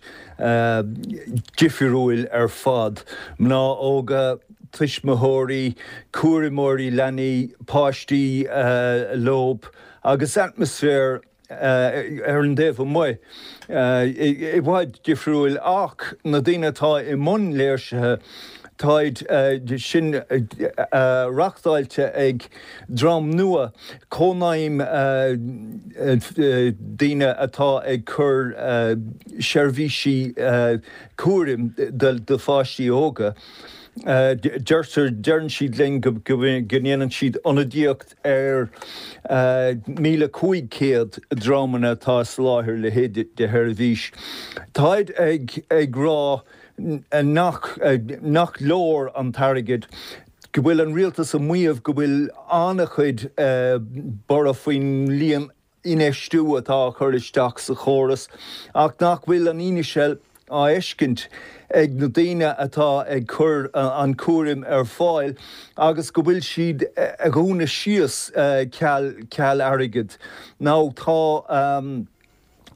difriúil ar fad. Mná óga, tuismitheoirí, cúramóirí leanaí, páistí leob agus atmaisféar ar an dtaobh amuigh, i bhfad difriúil ach na daoine atá i mbun léirsithe, táid sin reachtáilte ag dream nua, cónaidhm daoine atá ag cur seirbhísí cúraim do pháistí óga. Deirtear, deireann siad linn go ndéanann siad ionadaíocht ar 1,500 dreamanna atá ag soláthar a leithéid de sheirbhís. Táid ag rá nach nach leor an t-airgead, go bhfuil an rialtas ag maíomh go bhfuil an-chuid borradh faoin líon infheistiú atá á chur isteach sa chóras ach nach bhfuil an fhianaise á fheiscint ag na daoine atá ag cur an chúraim ar fáil agus go bhfuil siad a dhúnadh síos ceal ceal airgid. Now tá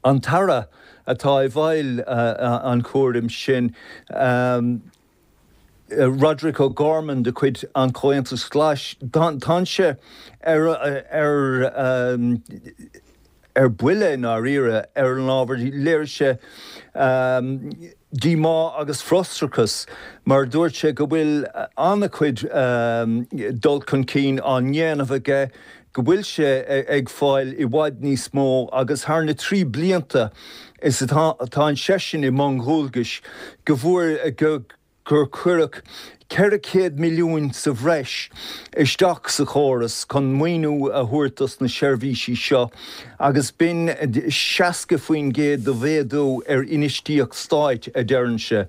an tAire atá i bhfeighil an chúraim sin, Roderic O'Gorman de chuid an Chomhaontais Ghlais, tánn sé ar ar buile i ndáiríre ar an ábhar. Léirigh sé díomá agus frustrachas mar dúirt sé go bhfuil an-chuid dul chun cinn á ndéanamh aige, go bhfuil sé ag fáil i bhfad níos mó agus thar na 3 blianta is atá seisean i mbun dhualgais go bhfuair go gur cuireadh 400 milliún sa bhreis isteach sa chóras chun maoiniú a thabhairt dos na seirbhísí seo agus b'in 60% de mhéadú ar infheistíocht stáit, a deireann sé.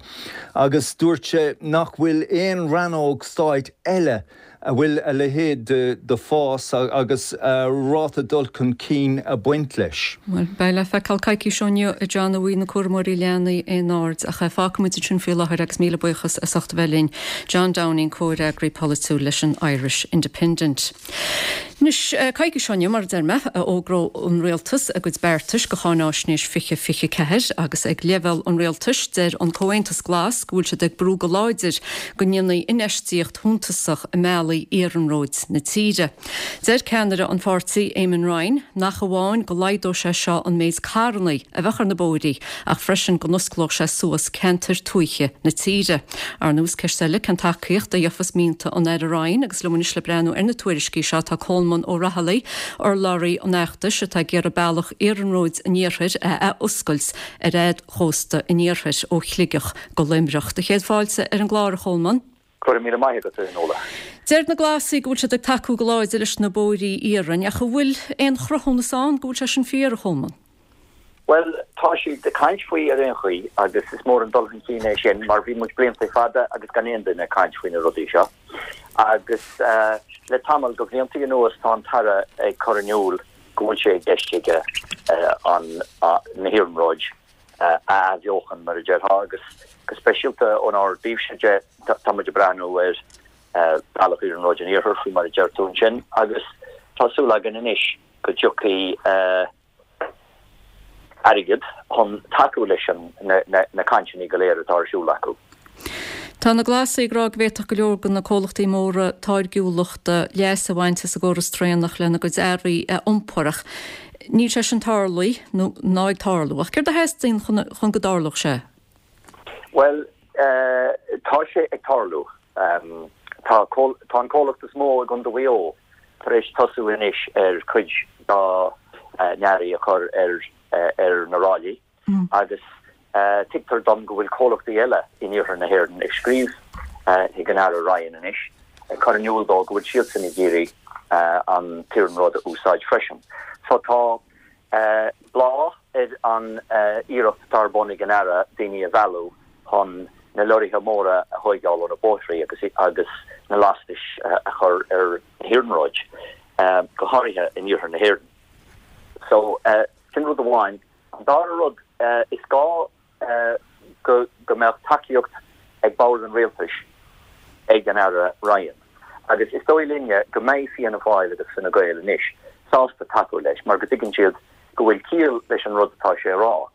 Agus dúirt sé nach bhfuil aon rannóg stáit eile a bhfuil a leithéid de fás agus ráta dul chun cinn ag baint leis. Bhuel, beidh le feiceáil coicís ó inniu, a John, an bhfaighidh na cúramóirí leanaí aon aird, ach fágfaimid ansin faoi láthair agus míle buíochas as ucht a bheith linn. John Downing, Comhfhreagraí Polaitiúil leis an Irish Independent. Anois, coicís ó inniu, mar a deir mé, a fhógróidh an Rialtas a gcuid beartais do Cháináisnéis 2024 agus ag leibhéal an Rialtais, deir an Comhaontas Glas go bhfuil siad ag brú go láidir go ndéanfaí infheistíocht shuntasach i mbealaí iarnróid na tíre. Deir ceannaire an pháirtí, Eamon Ryan, nach amháin go laghdódh sé seo an méid carranna a bheadh ar na bóithrí ach freisin go n-osclódh sé suas ceantair tuaithe na tíre. Ar ndóigh, is ceist eile cén tacaíocht a gheofas mianta an Aire Ryan agus liom anois le breathnú ar na tuairiscí seo tá Colmán Ó Raghallaigh, urlabhraí an fheachtais atá ag iarraidh bealach iarnróid an iarthair a athoscailt ar fhad chósta an iarthair ó Shligeach go Luimneach. Do chéad fáilte ar an gclár, a Cholmáin. Go raibh míle maith agat, a Fhionnuala. Deir na Glasaigh go bhfuil siad ag tacú go láidir leis na bóithrí iarainn, ach an bhfuil aon chruthúnas ann go bhfuil sé sin fíor, a Cholmáin? Bhuel, tá siad ag caint faoi ar aon chaoi agus is mór an dul chun cinn é sin mar bhí muid blianta fada agus gan aon duine ag caint faoi na rudaí seo. Agus le tamall de bhlianta anuas tá an tAire ag cur in iúl go bhfuil sé i gceist aige an, na hiarnróid. a athbheochan, mar a déarfá, agus go speisialta ónár dtaobhse de, tá muid ag breathnú ar Bhealach Iarnróid an Iarthair, faoi mar a deir tú ansin, agus tá súil againn anois go dtiocfaidh airgead chun tacú leis na cainteanna go léir atá ar siúl acu. Tá na Glasaigh ag rá go bhféadfadh go leor de na comhlachtaí móra táirgiúlachta leas a bhaint as an gcóras traenach lena gcuid earraí a iompar ach níl sé sin tarlaithe nó ná ag tarlú. Ach céard a theastaíonn chun go dtarlódh sé? Bhuel, tá sé ag tarlú. Tá tá an comhlacht is mó i gContae Mhaigh Eo tar éis tosú anois ar chuid dá n-earraí a chur ar ar na ráillí agus tuigtear dom go bhfuil comhlachtaí eile in iarthar na hÉireann ag scríobh chuig an Aire Ryan anois ag cur in iúl dó go bhfuil siadsan ag iarraidh an t-iarnród a úsáid freisin. So tá bláth ar an iarracht atá ar bun ag an Aire daoine a mhealladh chun na leoraithe móra a thóigeáil ó na bóithrí agus agus na lastais a chur ar na hiarnróid, go háirithe in iarthar na hÉireann. So, sin rud amháin. An dara rud, is gá go go mbeadh tacaíocht ag bord an rialtais ag an Aire Ryan. Agus is dóigh linne go mbeidh Fianna Fáil agus Fine Gael anois sásta tacú leis mar go dtuigeann siad go bhfuil ciall leis an rud atá sé a rá.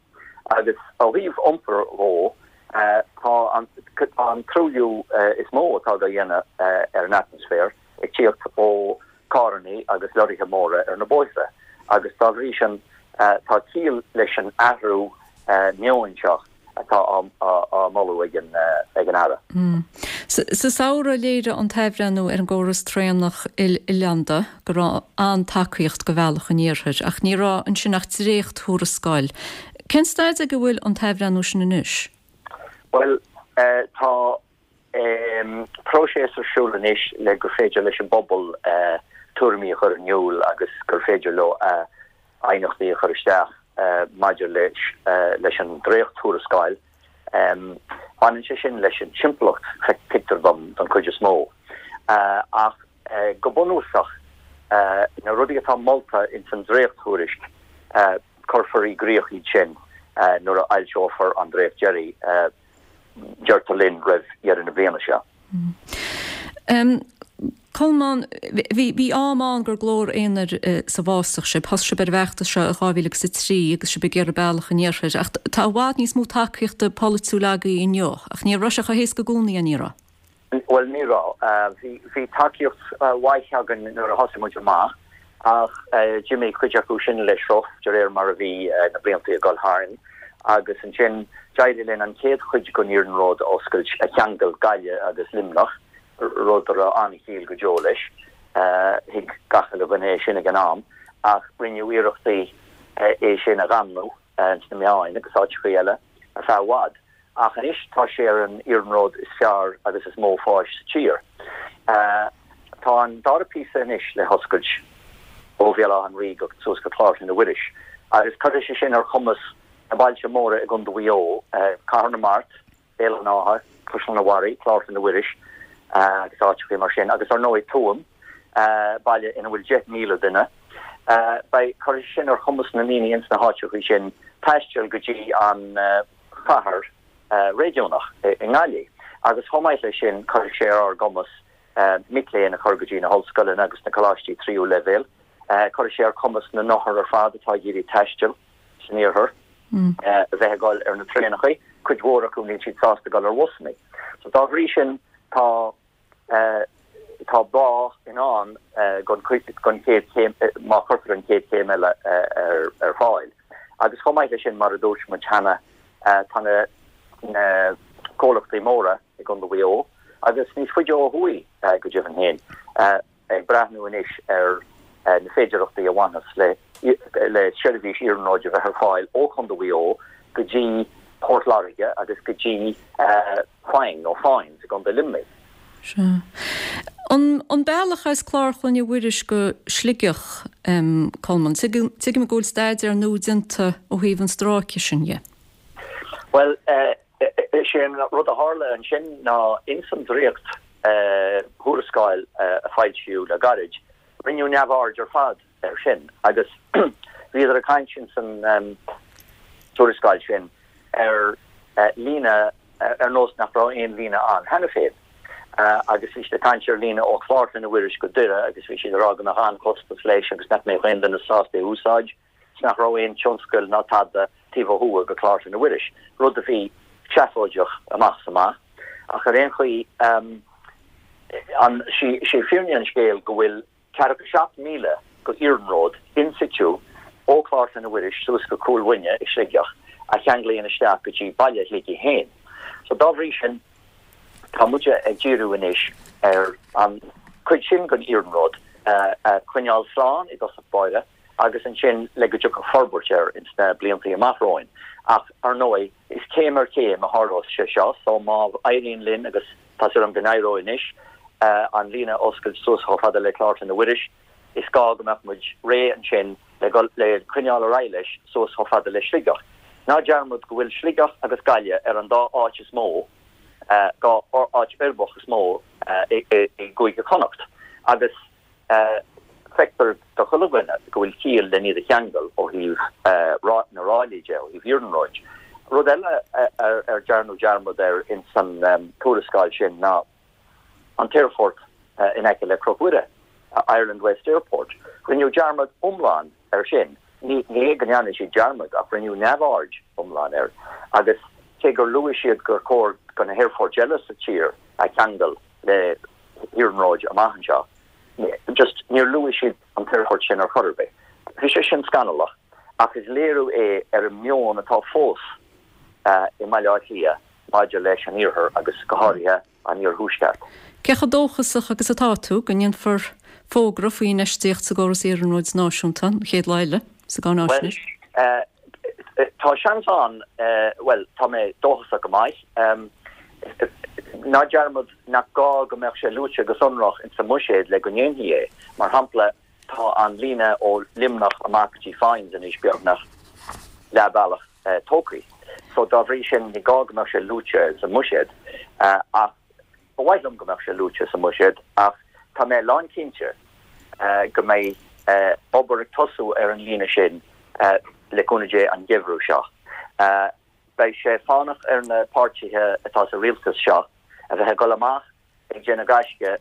Agus ó thaobh iompair dhó, tá an tá an truailliú is mó atá á dhéanamh ar an atmaisféar ag tíocht ó carrannaí agus leoraithe móra ar na bóithre agus dá bhrí sin tá ciall leis an athrú meoin seo atá á moladh ag an Aire. Sa samhradh léirigh an t-athbhreithniú ar an gcóras traenach il-oileánda go raibh an-tacaíocht do Bhealach an Iarthair ach ní raibh ansin ach dréacht-thuarascáil. Cén staid ag a bhfuil an t-athbhreithniú sin anois? Bhuel, tá próiseas ar siúl anois le gur féidir leis an bpobal tuairimí a chur in iúl agus gur féidir leo aighneachtaí a chur isteach maidir leis an dréacht-tuarascáil. Baineann sé sin leis an timpeallacht, tuigtear dom, don chuid is mó. Ach go bunúsach, na rudaí atá molta ins an dréacht-thuairisc, cuirfear i gcrích iad sin nuair a fhoilseofar an dréacht deiridh. deirtear linn, roimh dheireadh na bliana seo. Colmán, bhí am ann gur glór aonair sa bhfásach sibh. Thosaigh sibh ar an bhfeachtas seo i 2003 agus sibh ag iarraidh bealach an iarthair. Ach tá i bhfad níos mó tacaíochta polaitiúil agaibh inniu. Ach ní raibh sé chomh héasca i gcónaí, an raibh? Bhuel, ní raibh. Bhí tacaíocht mhaith againn nuair a thosaigh muid amach ach d'imigh cuid acu sin le sruth de réir mar a bhí na blianta ag dul tharainn agus ansin d'éirigh linn an chéad chuid den iarnród a oscailt a cheangail Gaillimh agus Luimneach, rud a raibh an-chiall go deo leis. Thuig gach uile dhuine é sin ag an am ach rinneadh iarrachtaí é sin a dhamnú sna meáin agus áiteachaí eile ar feadh i bhfad. Ach anois tá sé ar an iarnród is fearr agus is mó fáis sa tír. Tá an dara píosa anois le hoscailt ó Bhéal Átha an Rí go suas go Clár Chlainne Mhuiris agus cuirfidh sé sin ar chumas na bailte móra i gContae Mhaigh Eo, Cathair na Mart, Béal an Átha, Caisleán an Bharraigh, Clár Chlainne Mhuiris agus áiteachaí mar sin, agus ar ndóigh Tuaim, baile ina bhfuil 10,000 duine. Beidh, cuirfidh sé sin ar chumas na ndaoine ins na háiteachaí sin taisteal go dtí an. chathair réigiúnach i nGaillimh agus chomh maith leis sin cuirfidh sé ar ár gcumas mic léinn a chur go dtí na hollscoileanna agus na coláistí tríú leibhéal. Cuirfidh sé ar chumas na n-othar ar fad atá ag iarraidh taisteal san iarthar a bheith ag dul ar na traenachaí, cuid mhór acu níl siad sásta dul ar bhusannaí. So dá bhrí sin tá Tá bláth i ndán don chéad chéim, má chuirtear an chéad chéim eile ar fáil. Agus chomh maith leis sin, mar a dúirt muid cheana, tá na comhlachtaí móra i gContae Mhaigh Eo, agus níos faide ó thuaidh go deimhin féin, ag breathnú anois ar na féidearthachtaí a bhainfeas le le seirbhís iarnróid a bheith ar fáil ó Chontae Mhaigh Eo go dtí Port Láirge agus go dtí Faing nó Foynes i gContae Luimnigh. Sea. An bealach as Clár Chlainne Mhuiris go Sligeach, Colmán, tuigim go bhfuil staidéar nua déanta ó thaobh an stráice sin dhe. Bhuel, is é an rud a tharla ansin ná ins an dréacht thuarascáil a foilsíodh le gairid, rinneadh neamhaird ar fad air sin agus bhíodar ag caint ins an tuarascáil sin. ar líne ar nós nach raibh aon líne ann cheana féin. Agus bhí siad ag caint ar líne ó Chlár Chlainne Mhuiris go Doire agus bhí siad ag rá go mbeadh an-chostas leis agus nach mbeadh aon duine sásta é a úsáid 's nach raibh aon tionscal ná tada taobh ó thuaidh go Clár Chlainne Mhuiris, rud a bhí seafóideach amach is amach. Ach ar aon chaoi, an, sé fírinne an scéil go bhfuil ceathracha 7 míle go iarnród in situ ó Chlár Chlainne Mhuiris suas go Cúil Mhuine i Sligeach a cheanglaíonn isteach go dtí baile Shligigh féin. So dá bhrí sin tá muide ag díriú anois ar an chuid sin den iarnród a choinneáil slán i dtosach báire agus ansin le go dtiocfadh forbairt air ins na bliantaí amach romhainn. Ach ar ndóigh is céim ar chéim a tharlós sé seo so má éiríonn linn agus Tá súil agam go n-éireoidh anois an líne a oscailt suas chomh fada le Clár Chlainne Mhuiris. Is gá go mbeadh muid réidh ansin le dhul le coinneáil ar aghaidh leis suas chomh fada le Sligeach. Ná dearmad go bhfuil Sligeach agus Gaillimh ar an dá áit is mó, dhá áit uirbeach is mó i gCúige Chonnacht agus Feictear do chuile dhuine go bhfuil ciall len iad a cheangal ó thaobh na ráillí de, ó thaobh iarnróid. Rud eile ar dearnadh dearmad air ins an tuarascáil sin ná an t-aerfort in aice le Cnoc Mhuire, Ireland West Airport. Rinneadh dearmad iomlán air sin. Ní hé go ndearna siad dearmad ach rinneadh neamhaird iomlán air agus cé gur luaigh siad gur chóir do na haerfoirt eile sa tír a cheangal le hiarnróid amach anseo, Just níor luaigh siad an t-aerfort sin ar chor ar bith. Bhí sé sin scannalach ach is léiriú é ar an meon atá fós i mBaile Átha Cliath maidir leis an iarthar agus go háirithe an iarthuaisceart. Cé chomh dóchasach agus atá tú go ndéanfar fógra faoi infheistíocht sa gcóras iarnróid náisiúnta an chéad lá eile sa gcáináisnéis? Bhuel, tá seans ann, bhuel, tá mé dóchasach go maith. Ná dearmad nach gá go mbeadh sé luaite go sonrach ins an mbuiséad le go ndéanfaí é. Mar shampla, tá an líne ó Luimneach amach go dtí Foynes anois beagnach leath bealach tógtha. So dá bhrí sin ní gá go mbeadh sé luaite ins an mbuiséad. Ach ba mhaith liom go mbeadh sé luaite sa mbuiséad ach tá mé lánchinnte go mbeidh obair ag tosú ar an líne sin le cúnamh Dé an geimhreadh seo. Beidh sé fánach ar na páirtithe atá sa rialtas seo a bheith ag dul amach ag déanamh gaisce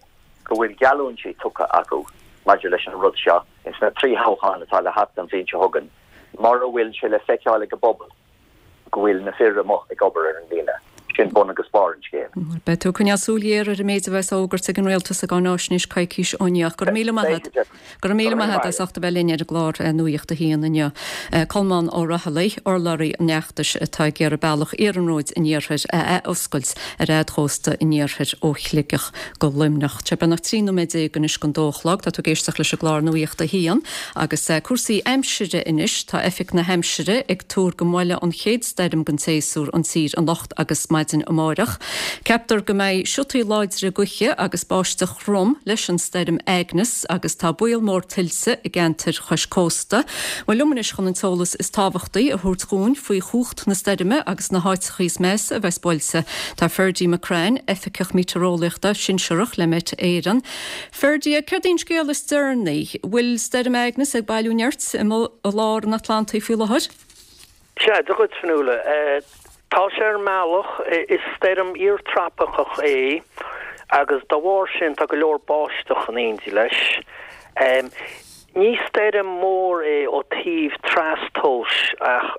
go bhfuil geallúintí tugtha acu maidir leis an rud seo ins na 3 thoghchán atá le theacht an bhliain seo chugainn mura bhfuil sé le feiceáil ag an bpobal go bhfuil na fir amuigh ag obair ar an líne. Sin bun agus barr an scéil. Beidh tú ag coinneáil súil ghéar ar an méid a bheas á fhógairt ag an Rialtas sa gcáináisnéis coicís ó inniu. Go raibh míle maith agat. Go raibh míle maith agat as ucht a bheith linn ar an gclár Nuacht a hAon inniu. Colmán Ó Raghallaigh, urlabhraí an fheachtais atá ag iarraidh bealach iarnróid an iarthair a ath-oscailt ar fhad chósta an iarthair ó Shligeach go Luimneach. Tá sé beagnach 13 nóiméad anois don dó a chlog. Tá tú ag éisteacht leis an gclár Nuacht a hAon agus cúrsaí aimsire anois. Tá Oifig na hAimsire ag tuar go mbuailfidh an chéad stoirm den tséasúr an tír anocht agus maidin amáireach. Ceaptar go mbeidh siotaí láidre gaoithe agus báisteach throm leis an stoirm Agnes agus tá baol mór tuilte i gceantair chois cósta. Bhuel liom anois chun an t-eolas is tábhachtaí a thabhairt dhúinn faoi chumhacht na stoirme agus na háiteachaí is measa a bheas buailte tá Ferdie McCrann, Oifigeach Meitéareolaíochta Sinsearach le Met Éireann. Ferdie, céard é an scéal is deireanaí? Bhfuil Stoirm Agnes ag bailiú nirt i lár an Atlantaigh faoi láthair? Sea, Dia dhuit, Fionnuala. Tá sé ar an mbealach. Is stoirm iar-trópaiceach é agus dá bharr sin tá go leor báisteach in éindí leis. Ní stoirm mór é ó taobh trastomhais ach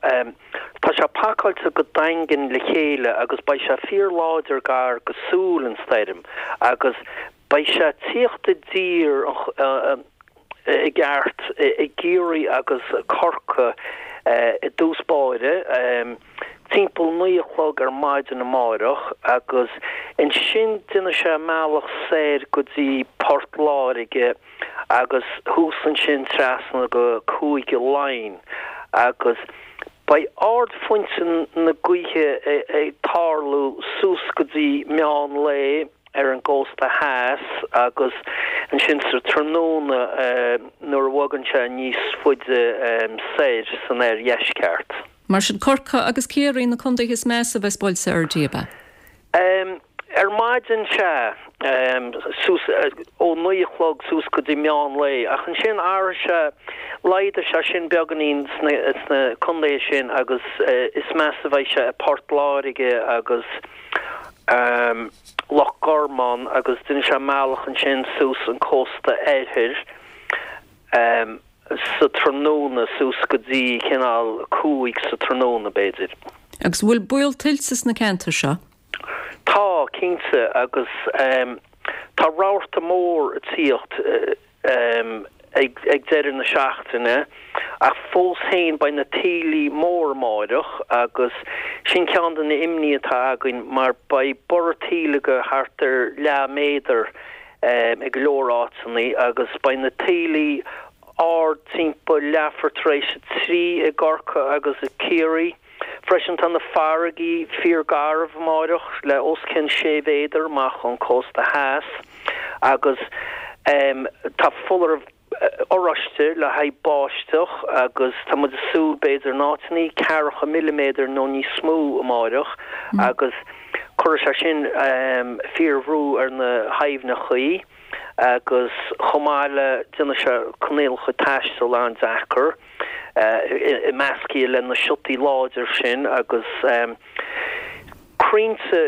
tá sé pacáilte go daingean le chéile agus beidh sé fíor-láidir gar go súil an stoirm agus Beidh sé ag tíocht i dtír i gceart i gCiarraí agus Corcaigh i dtús báire, timpeall 9 a chlog ar maidin amáireach agus ansin déanfaidh sé a mbealach soir go dtí Port Láirge agus thuas ansin trasna go Cúige Laighean agus beidh ardphointe na gaoithe ag tarlú suas go dtí meán lae. ar an gcósta theas agus ansin sa tráthnóna nuair a bhogann sé níos faide soir san oirdheisceart. Mar sin, Corcaigh agus Ciarraí na contaetha is measa a bheas buailte, Fherdie, ab ea? Ar maidin, sea, suas ó 9 a chlog suas go dtí meán lae, ach ansin athróidh sé, laghdóidh sé sin beagáinín sna contaetha sin agus is measa a bheidh sé i Port Láirge agus Loch Garman agus déanfaidh sé a mbealach ansin suas an cósta oirthir sa tráthnóna suas go dtí cineál 5 sa tráthnóna b'fhéidir. Agus an bhfuil baol tuilte sna ceantair seo? Tá, cinnte, agus tá rabharta mór ag tíocht ag deireadh na seachtaine, ach fós féin beidh na taoillí mór amáireach agus sin ceann de na imní atá againn mar beidh borradh taoille go thart ar leath méadar i go leor áiteanna agus beidh na taoillí ard timpeall leathuair tar éis a 3 i gCorcaigh agus i Ciarraí. Freisin tá na farraigí fíor garbh amáireach le os cionn 6 mhéadar amach ón cósta theas agus tá foláireamh oráiste le haghaidh báisteach agus tá muid ag súil b'fhéidir in áiteannaí ceathracha milliméadar nó níos mó amáireach agus cuirfidh sé sin fíor bhrú ar na haibhneachaí agus chomh maith le déanfaidh sé coinníollacha taistil an-deacair. measctha le na siotaí láidir sin agus crainnte,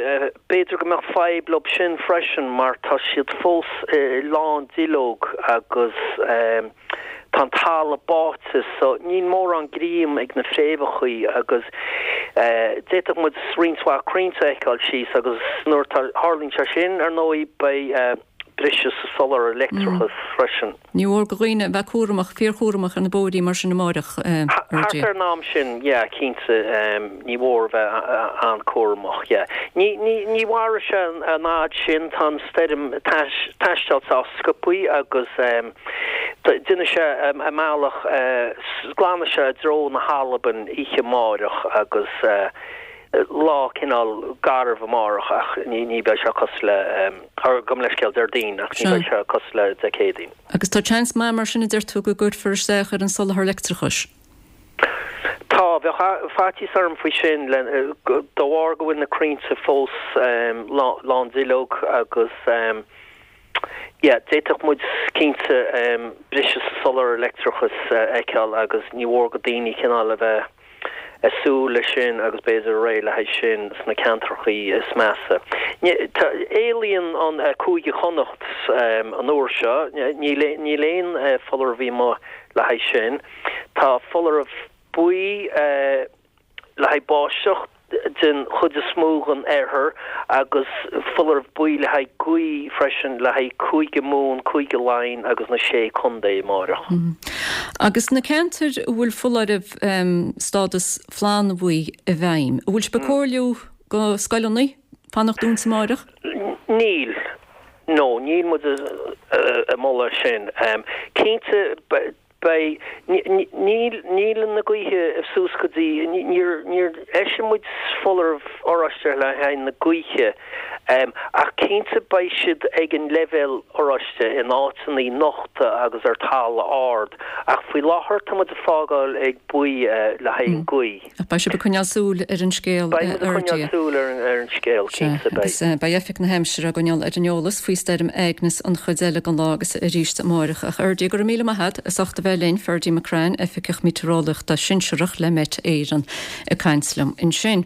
b'fhéidir go mbeadh fadhb leo sin freisin mar tá siad fós lán duilleog agus tá an talamh báite so níl mórán greim ag na fréamhachaí agus d'fhéadfadh muid roinnt mhaith crainnte a fheiceáil síos agus nuair a tharlaíonn sé sin ar ndóigh beidh briseadh sa soláthar leictreachais freisin. Ní mhór do dhaoine a bheith cúramach, fíorchúramach ar na bóithrí mar sin amáireach, a Thart ar an am sin, yeah, cinnte, ní mhór a bheith an-cúramach, yeah. Ní, ní, ní mhairfidh sé an fhad sin, tá an stoirm ag taisteal sách sciobthaí agus déanfaidh sé a mbealach, glanfaidh sé i dtreo na hAlban oíche amáireach agus lá cineál garbh amárach ach ní, ní bheidh sé cosúil le. Gabh mo leithscéal, Déardaoin, ach ní bheidh sé cosúil le Dé Céadaoin. Agus tá seans maith mar sin a deir tú go gcuirfear isteach ar an soláthar leictreachais? Tá, bheadh faitíos orm faoi sin de bharr go bhfuil na crainnte fós lán duilleog agus yeah d'fhéadfadh muid cinnte briseadh sa soláthar leictreachais a fheiceáil agus ní mhór do daoine cineál a bheith ag súil leis sin agus b'fhéidir réidh le haghaidh sin sna ceantrachaí is measa. Éalaíonn an Cúige Chonnacht an uair seo, níl aon foláireamh amuigh le haghaidh sin. Tá foláireamh buí le haghaidh báisteach den chuid is mó den oirthear agus foláireamh buí le haghaidh gaoth freisin le haghaidh Cúige Mumhan, Cúige Laighean agus na Sé Contae amáireach. Agus na ceantair a bhfuil foláireamh stádas flannbhuí i bhfeidhm, an bhfuil sibh ag comhairliú do scoileanna fanacht dúnta amáireach? Níl. No, níl muid ag moladh sin. Cinnte, Beidh. Níl, níl na gaoithe suas go dtí, níor, níor eisigh muid foláireamh oráiste le haghaidh na gaoithe ach cinnte beidh siad ag an leibhéal oráiste in áiteanna nochta agus ar talamh ard ach faoi láthair tá muid ag fágáil ag buí le haghaidh an gaoth. Ach beidh sibh ag coinneáil súil ar an scéal, Beidh muid ag coinneáil súil ar an scéal, cinnte beidh. Agus beidh Oifig na hAimsire á gcoinneáil ar an eolas faoi stoirm Agnes an chuid eile den lá agus arís amáireach. A Fherdie, go raibh míle maith agat as ucht a bheith linn, Ferdie McCrann, Oifigeach Meitéareolaíochta Sinsearach le Met Éireann ag caint liom ansin.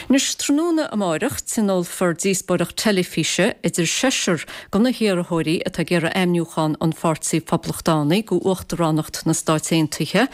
Anois, tráthnóna amáireach, tionólfar díospóireacht teilifíse idir seisear de na hiarrthóirí atá ag iarraidh ainmniúchán an Pháirtí Phoblachtánaigh go Uachtaránacht na Stáit Aontaithe.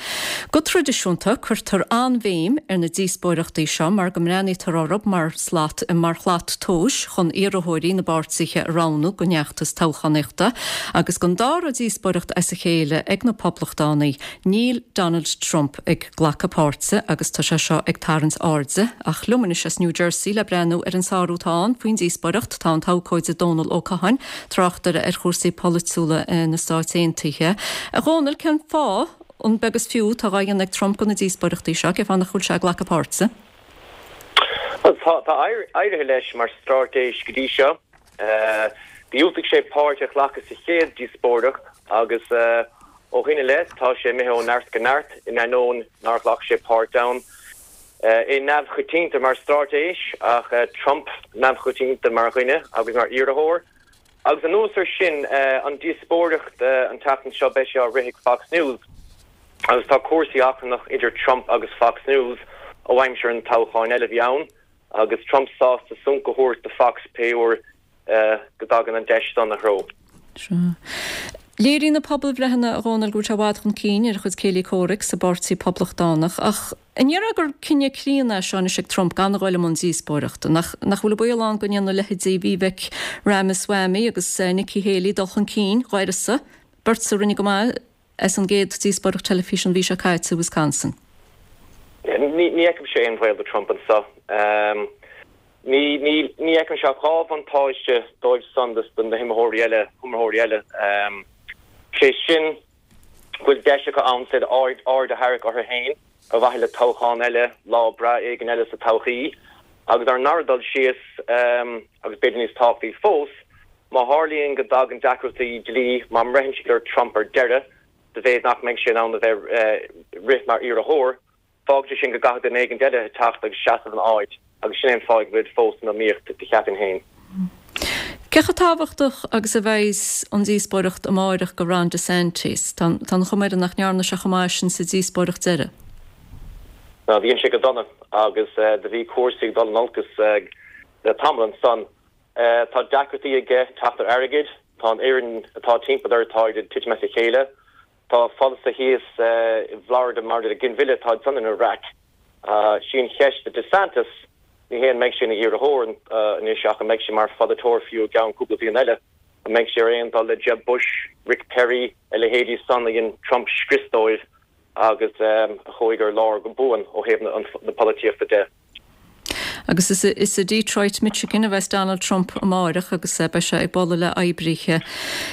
Go traidisiúnta, cuirtear an-bhéim ar na díospóireachtaí seo mar go mbreathnaítear orthu mar slat mar shlat tomhais chun iarrthóirí na bpáirtithe a roghnú don fheachtas toghchánaíochta. Agus don dara díospóireacht as a chéile ag na Poblachtánaigh, níl Donald Trump ag glacadh páirte agus tá sé seo ag tarraingt airde. Ach liom anois as New Jersey le breathnú ar an sárú atá ann faoin díospóireacht tá an t-abhcóide Dónal Ó Catháin, tráchtaire ar chúrsaí polaitiúla na Stáit Aontaithe. A Dhónaill, cén fáth, an beag is fiú atá dhá dhéanamh ag Trump de na díospóireachtaí seo, cén fáth nach bhfuil sé ag glacadh páirte? Bhuel, tá éirithe leis mar straitéis go dtí seo. Dhiúltaigh sé páirt a ghlacadh sa chéad díospóireacht agus ó shin i leith tá sé imithe ó neart go neart in ainneoin nár ghlac sé páirt ann. É neamhchoitianta mar straitéis, ach Trump neamhchoitianta mar dhuine agus mar iarrthóir. Agus anuas ar sin, an díospóireacht an tseachtain seo, beidh sé á rith ag Fox News. Agus tá cúrsaí achrannach idir Trump agus Fox News ó aimsir an toghcháin eile a bhí ann, agus Trump sásta sonc a thabhairt do Fox pé uair go dtagann an deis san ina threo. Sea. Léiríonn na pobalbhreitheanna, a Dhónaill, go bhfuil sé i bhfad chun cinn ar a chuid céilí comhraic sa bPáirtí Poblachtánach, ach an ndéarfá gur cinneadh críonna é seo anois ag Trump gan a ghoil i mbun díospóireachta? Nach nach bhfuil an baol ann go ndéanfaidh leithéidí Vivek Ramaswamy agus Nikki Haley dul chun cinn dá uireasa, beirt a rinne go maith as an gcéad díospóireacht teilifíse an mhí seo caite i Wisconsin? Ní fheicimse aon bhaol do Trump anseo. Ní fheicimse ach 2 bhuntáiste dóibh san dos na hiomaitheoirí eile, iomaitheoirí eile, sé sin go bhfuil deis acu ann said aird a tharrac orthu féin ar mhaithe le toghchán eile, lá breá éigin eile sa todhchaí. Agus ar an ndara dul síos, agus b'fhéidir níos tábhachtaí fós, má tharlaíonn go dtagann deacrachtaí dlí, má mbreitheann siad ar Trump ar deireadh, sa mhéid nach mbeidh sé in ann a bheith rith mar iarrthóir, Fágfaidh sé sin go gcaithfidh duine éigin eile teacht agus seasamh ina áit agus sin é an fáth go bhfuilid fós san iomaíocht, do cheapfainn féin. Cé chomh tábhachtach agus a bheidhs an díospóireacht amáireach go Ron DeSantis? Tá an chuma air nach ndearna sé chomh maith sin sa díospóireacht deiridh. Ná, dhein sé go dona agus do bhí cúrsaí ag dul in olcas le tamall ansan. Tá deacrachtaí aige teacht ar airgead, tá an fhoireann atá timpeall air, táid ag titim as a chéile. Tá polasaithe thíos i bhFlorida maidir le ginmhilleadh, táid san ina raic. Sí an cheist do DeSantis, ní hé an mbeidh sé ina iarrthóir anois ach an mbeidh sé mar pholaiteoir fiú i gceann cúpla bliain eile. An mbeidh sé ar aon dul le Jeb Bush, Rick Perry, a leithéidí san a dhein Trump scrios dóibh agus a chuaigh ar lár go buan ó thaobh na polaitíochta de. Agus is i Detroit, Michigan a bheas Donald Trump amáireach agus beidh sé ag bualadh le oibrithe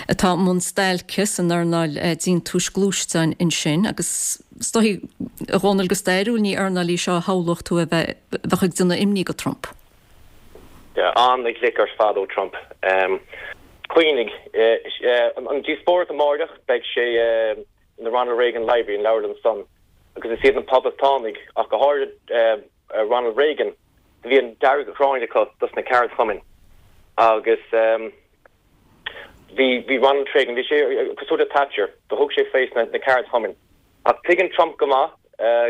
atá i mbun stailce san earnáil déantúis gluaisteáin ansin. Agus is dóichí, a Dhónaill, go stairiúil ní earnáil í seo a shamhlódh tú a bheith bheadh ag déanamh imní go Trump. Yeah, an-ghlic ar fad ó Trump. Cuimhnigh, an díospóireacht amáireach, beidh sé in the Ronald Reagan Library, an leabharlann san, agus is iad na Poblachtánaigh, ach go háirid Ronald Reagan, do bhí an dearg-ghráin acu dos na ceardchumainn agus bhí, bhí Ronald Reagan, bhí sé cosúil le Thatcher, do thug sé faoi sna ceardchumainn. Ach tuigeann Trump go maith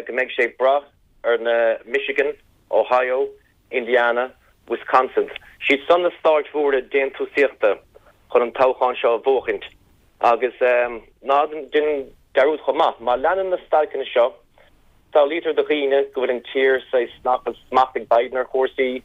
go mbeidh sé ag brath ar na Michigan, Ohio, Indiana, Wisconsin, siad san na stáit mhóra déantúsaíochta chun an toghchán seo a bhuachaint. Agus ná déan dearúd chomh maith, má leanann na stailceanna seo, samhlaítear do dhaoine go bhfuil an tír saghas, nach bhfuil smacht ag Biden ar chúrsaí,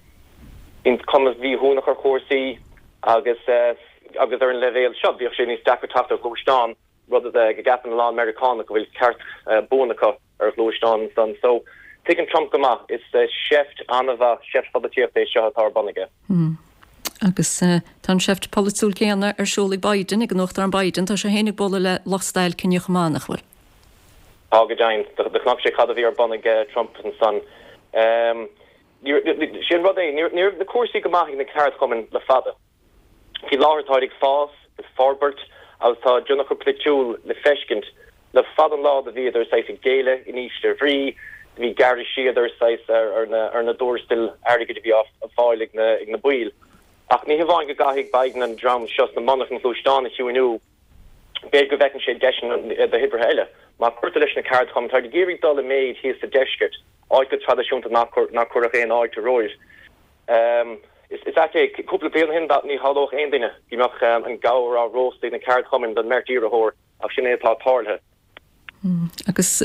bíonn cuma mhíthuanach ar chúrsaí agus agus ar an leibhéal seo bheadh sé níos deacra teacht ar ghluaisteán, rud go gceapann a lán Meiriceánach go bhfuil ceart buan acu ar ghluaisteán ansan. So, tuigeann Trump go maith, is seift an-mhaith, seift pholaitíochta é seo atá ar bun aige. Agus tá an seift pholaitiúil céanna ar siúl ag Biden, ag an Uachtarán Biden. Tá sé féin ag bualadh le lucht stailce inniu chomh maith, nach bhfuil? Tá go deimhin. Do chonaic sé cad a bhí ar bun ag Trump ansan. Sé an rud é, ní raibh na cúrsaí go maith ag na ceardchumainn le fada. Faoi láthair táid ag fás, ag forbairt agus tá a dtionchar polaitiúil le feiscint. Le fada an lá do bhíodar saghas ag géilleadh, in ísle bhrí, do bhí gearradh siar saghas ar na dtuarastail airgid a bhí á fáil ag na baill. Ach ní hamháin go gcaithfidh Biden an dream seo sna monarchana gluaisteán a chiúiniú, b'fhéidir go bhfeiceann sé deiseanna do oibrithe eile. Má cuirtear leis na ceardchumainn, táid ag iarraidh dul i méid thíos sa deisceart, áit go traidisiúnta nár cuireadh aon fháilte romhaibh. Is ait é, cúpla bliain ó shin ní shamhlódh aon duine go mbeadh an gabhar á róstadh ag na ceardchumainn don mbeirt iarrthóir ach sin é atá tarlaithe. Agus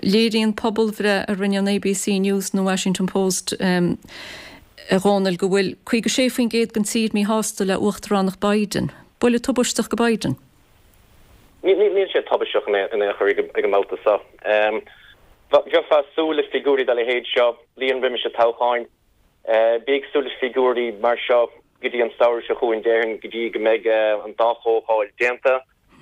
léiríonn pobalbhreith a rinne an ABC News nó Washington Post, a Dhónaill, go bhfuil 56% den tír míshásta le uachtaránacht Biden. Buille tubaisteach go Biden. Níl sé tubaisteach in aon chor ag an mbabhta seo. Bheifeá ag súil le figiúirí dá leithéid seo bliain roimis an toghchán. Bí ag súil le figiúirí mar seo go dtí an samhradh seo chugainn, déarfainn, go dtí go mbeidh an dá chomhdháil déanta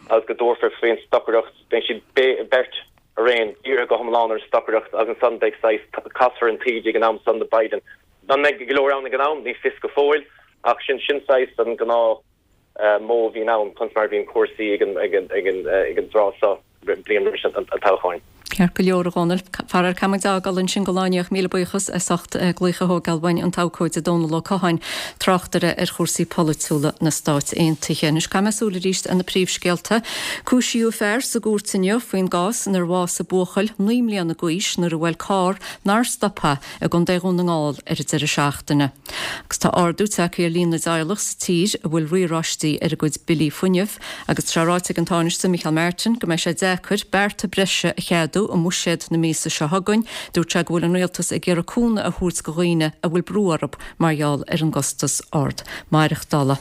agus go dtabharfar faoin stocaireacht. Beidh siad beirt araon dírithe go hiomlán ar an stocaireacht agus ansan beidh saghas, casfar an taoide ag an am san do Biden. An mbeidh go leor ann ag an am? Ní fios go fóill ach sin sin saghas an gnáth modh a bhíonn ann, conas mar a bhíonn cúrsaí ag an dtráth seo bliain roimis an toghcháin. Ceart go leor, a Dhónaill. Faraor caithfidh muid fágáil ansin don lá inniu ach míle buíochas as ucht glaoch a thógáil uainn, an t-abhcóide Dónal Ó Catháin, tráchtaire ar chúrsaí polaitiúla na Stáit Aontaithe. Anois caithfidh mé súil arís ar na príomhscéalta. Cúisíodh fear sa gcúirt inniu faoin gcás inar bhásaigh buachaill 9 mbliana d'aois nuair a bhuail carr nár stop é i gContae Dhún na nGall ar an deireadh seachtaine. Agus tá ardú tagtha ar líon na dteaghlach sa tír a bhfuil riaráistí ar a gcuid billí fuinnimh agus tá sé ráite ag an Tánaiste Micheál Martin go mbeidh sé deacair bearta breise a cheadú i mbuiséad na míosa seo chugainn. Dúirt sé go bhfuil an rialtas ag iarraidh cúnamh a thabhairt go dhaoine a bhfuil brú orthu mar gheall ar an gcostas ard maireachtála.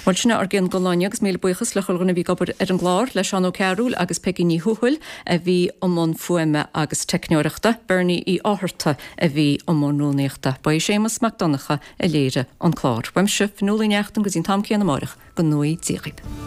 Bhuel sin é ár gcion don lá inniu agus míle buíochas le chuile dhuine a bhí ag obair ar an gclár, le Seán Ó Cearúil agus Peigí Ní Thuathail a bhí i mbun fuaime agus teicneoireachta, Bernie Uí Fhátharta a bhí i mbun rúnaíochta. Ba é Séamus Mac Donncha a léirigh an clár. Uaimse, Fionnuala Ní Neachtain, go dtí an t-am céanna amáireach, go ngnóthaí Dia dhaoibh.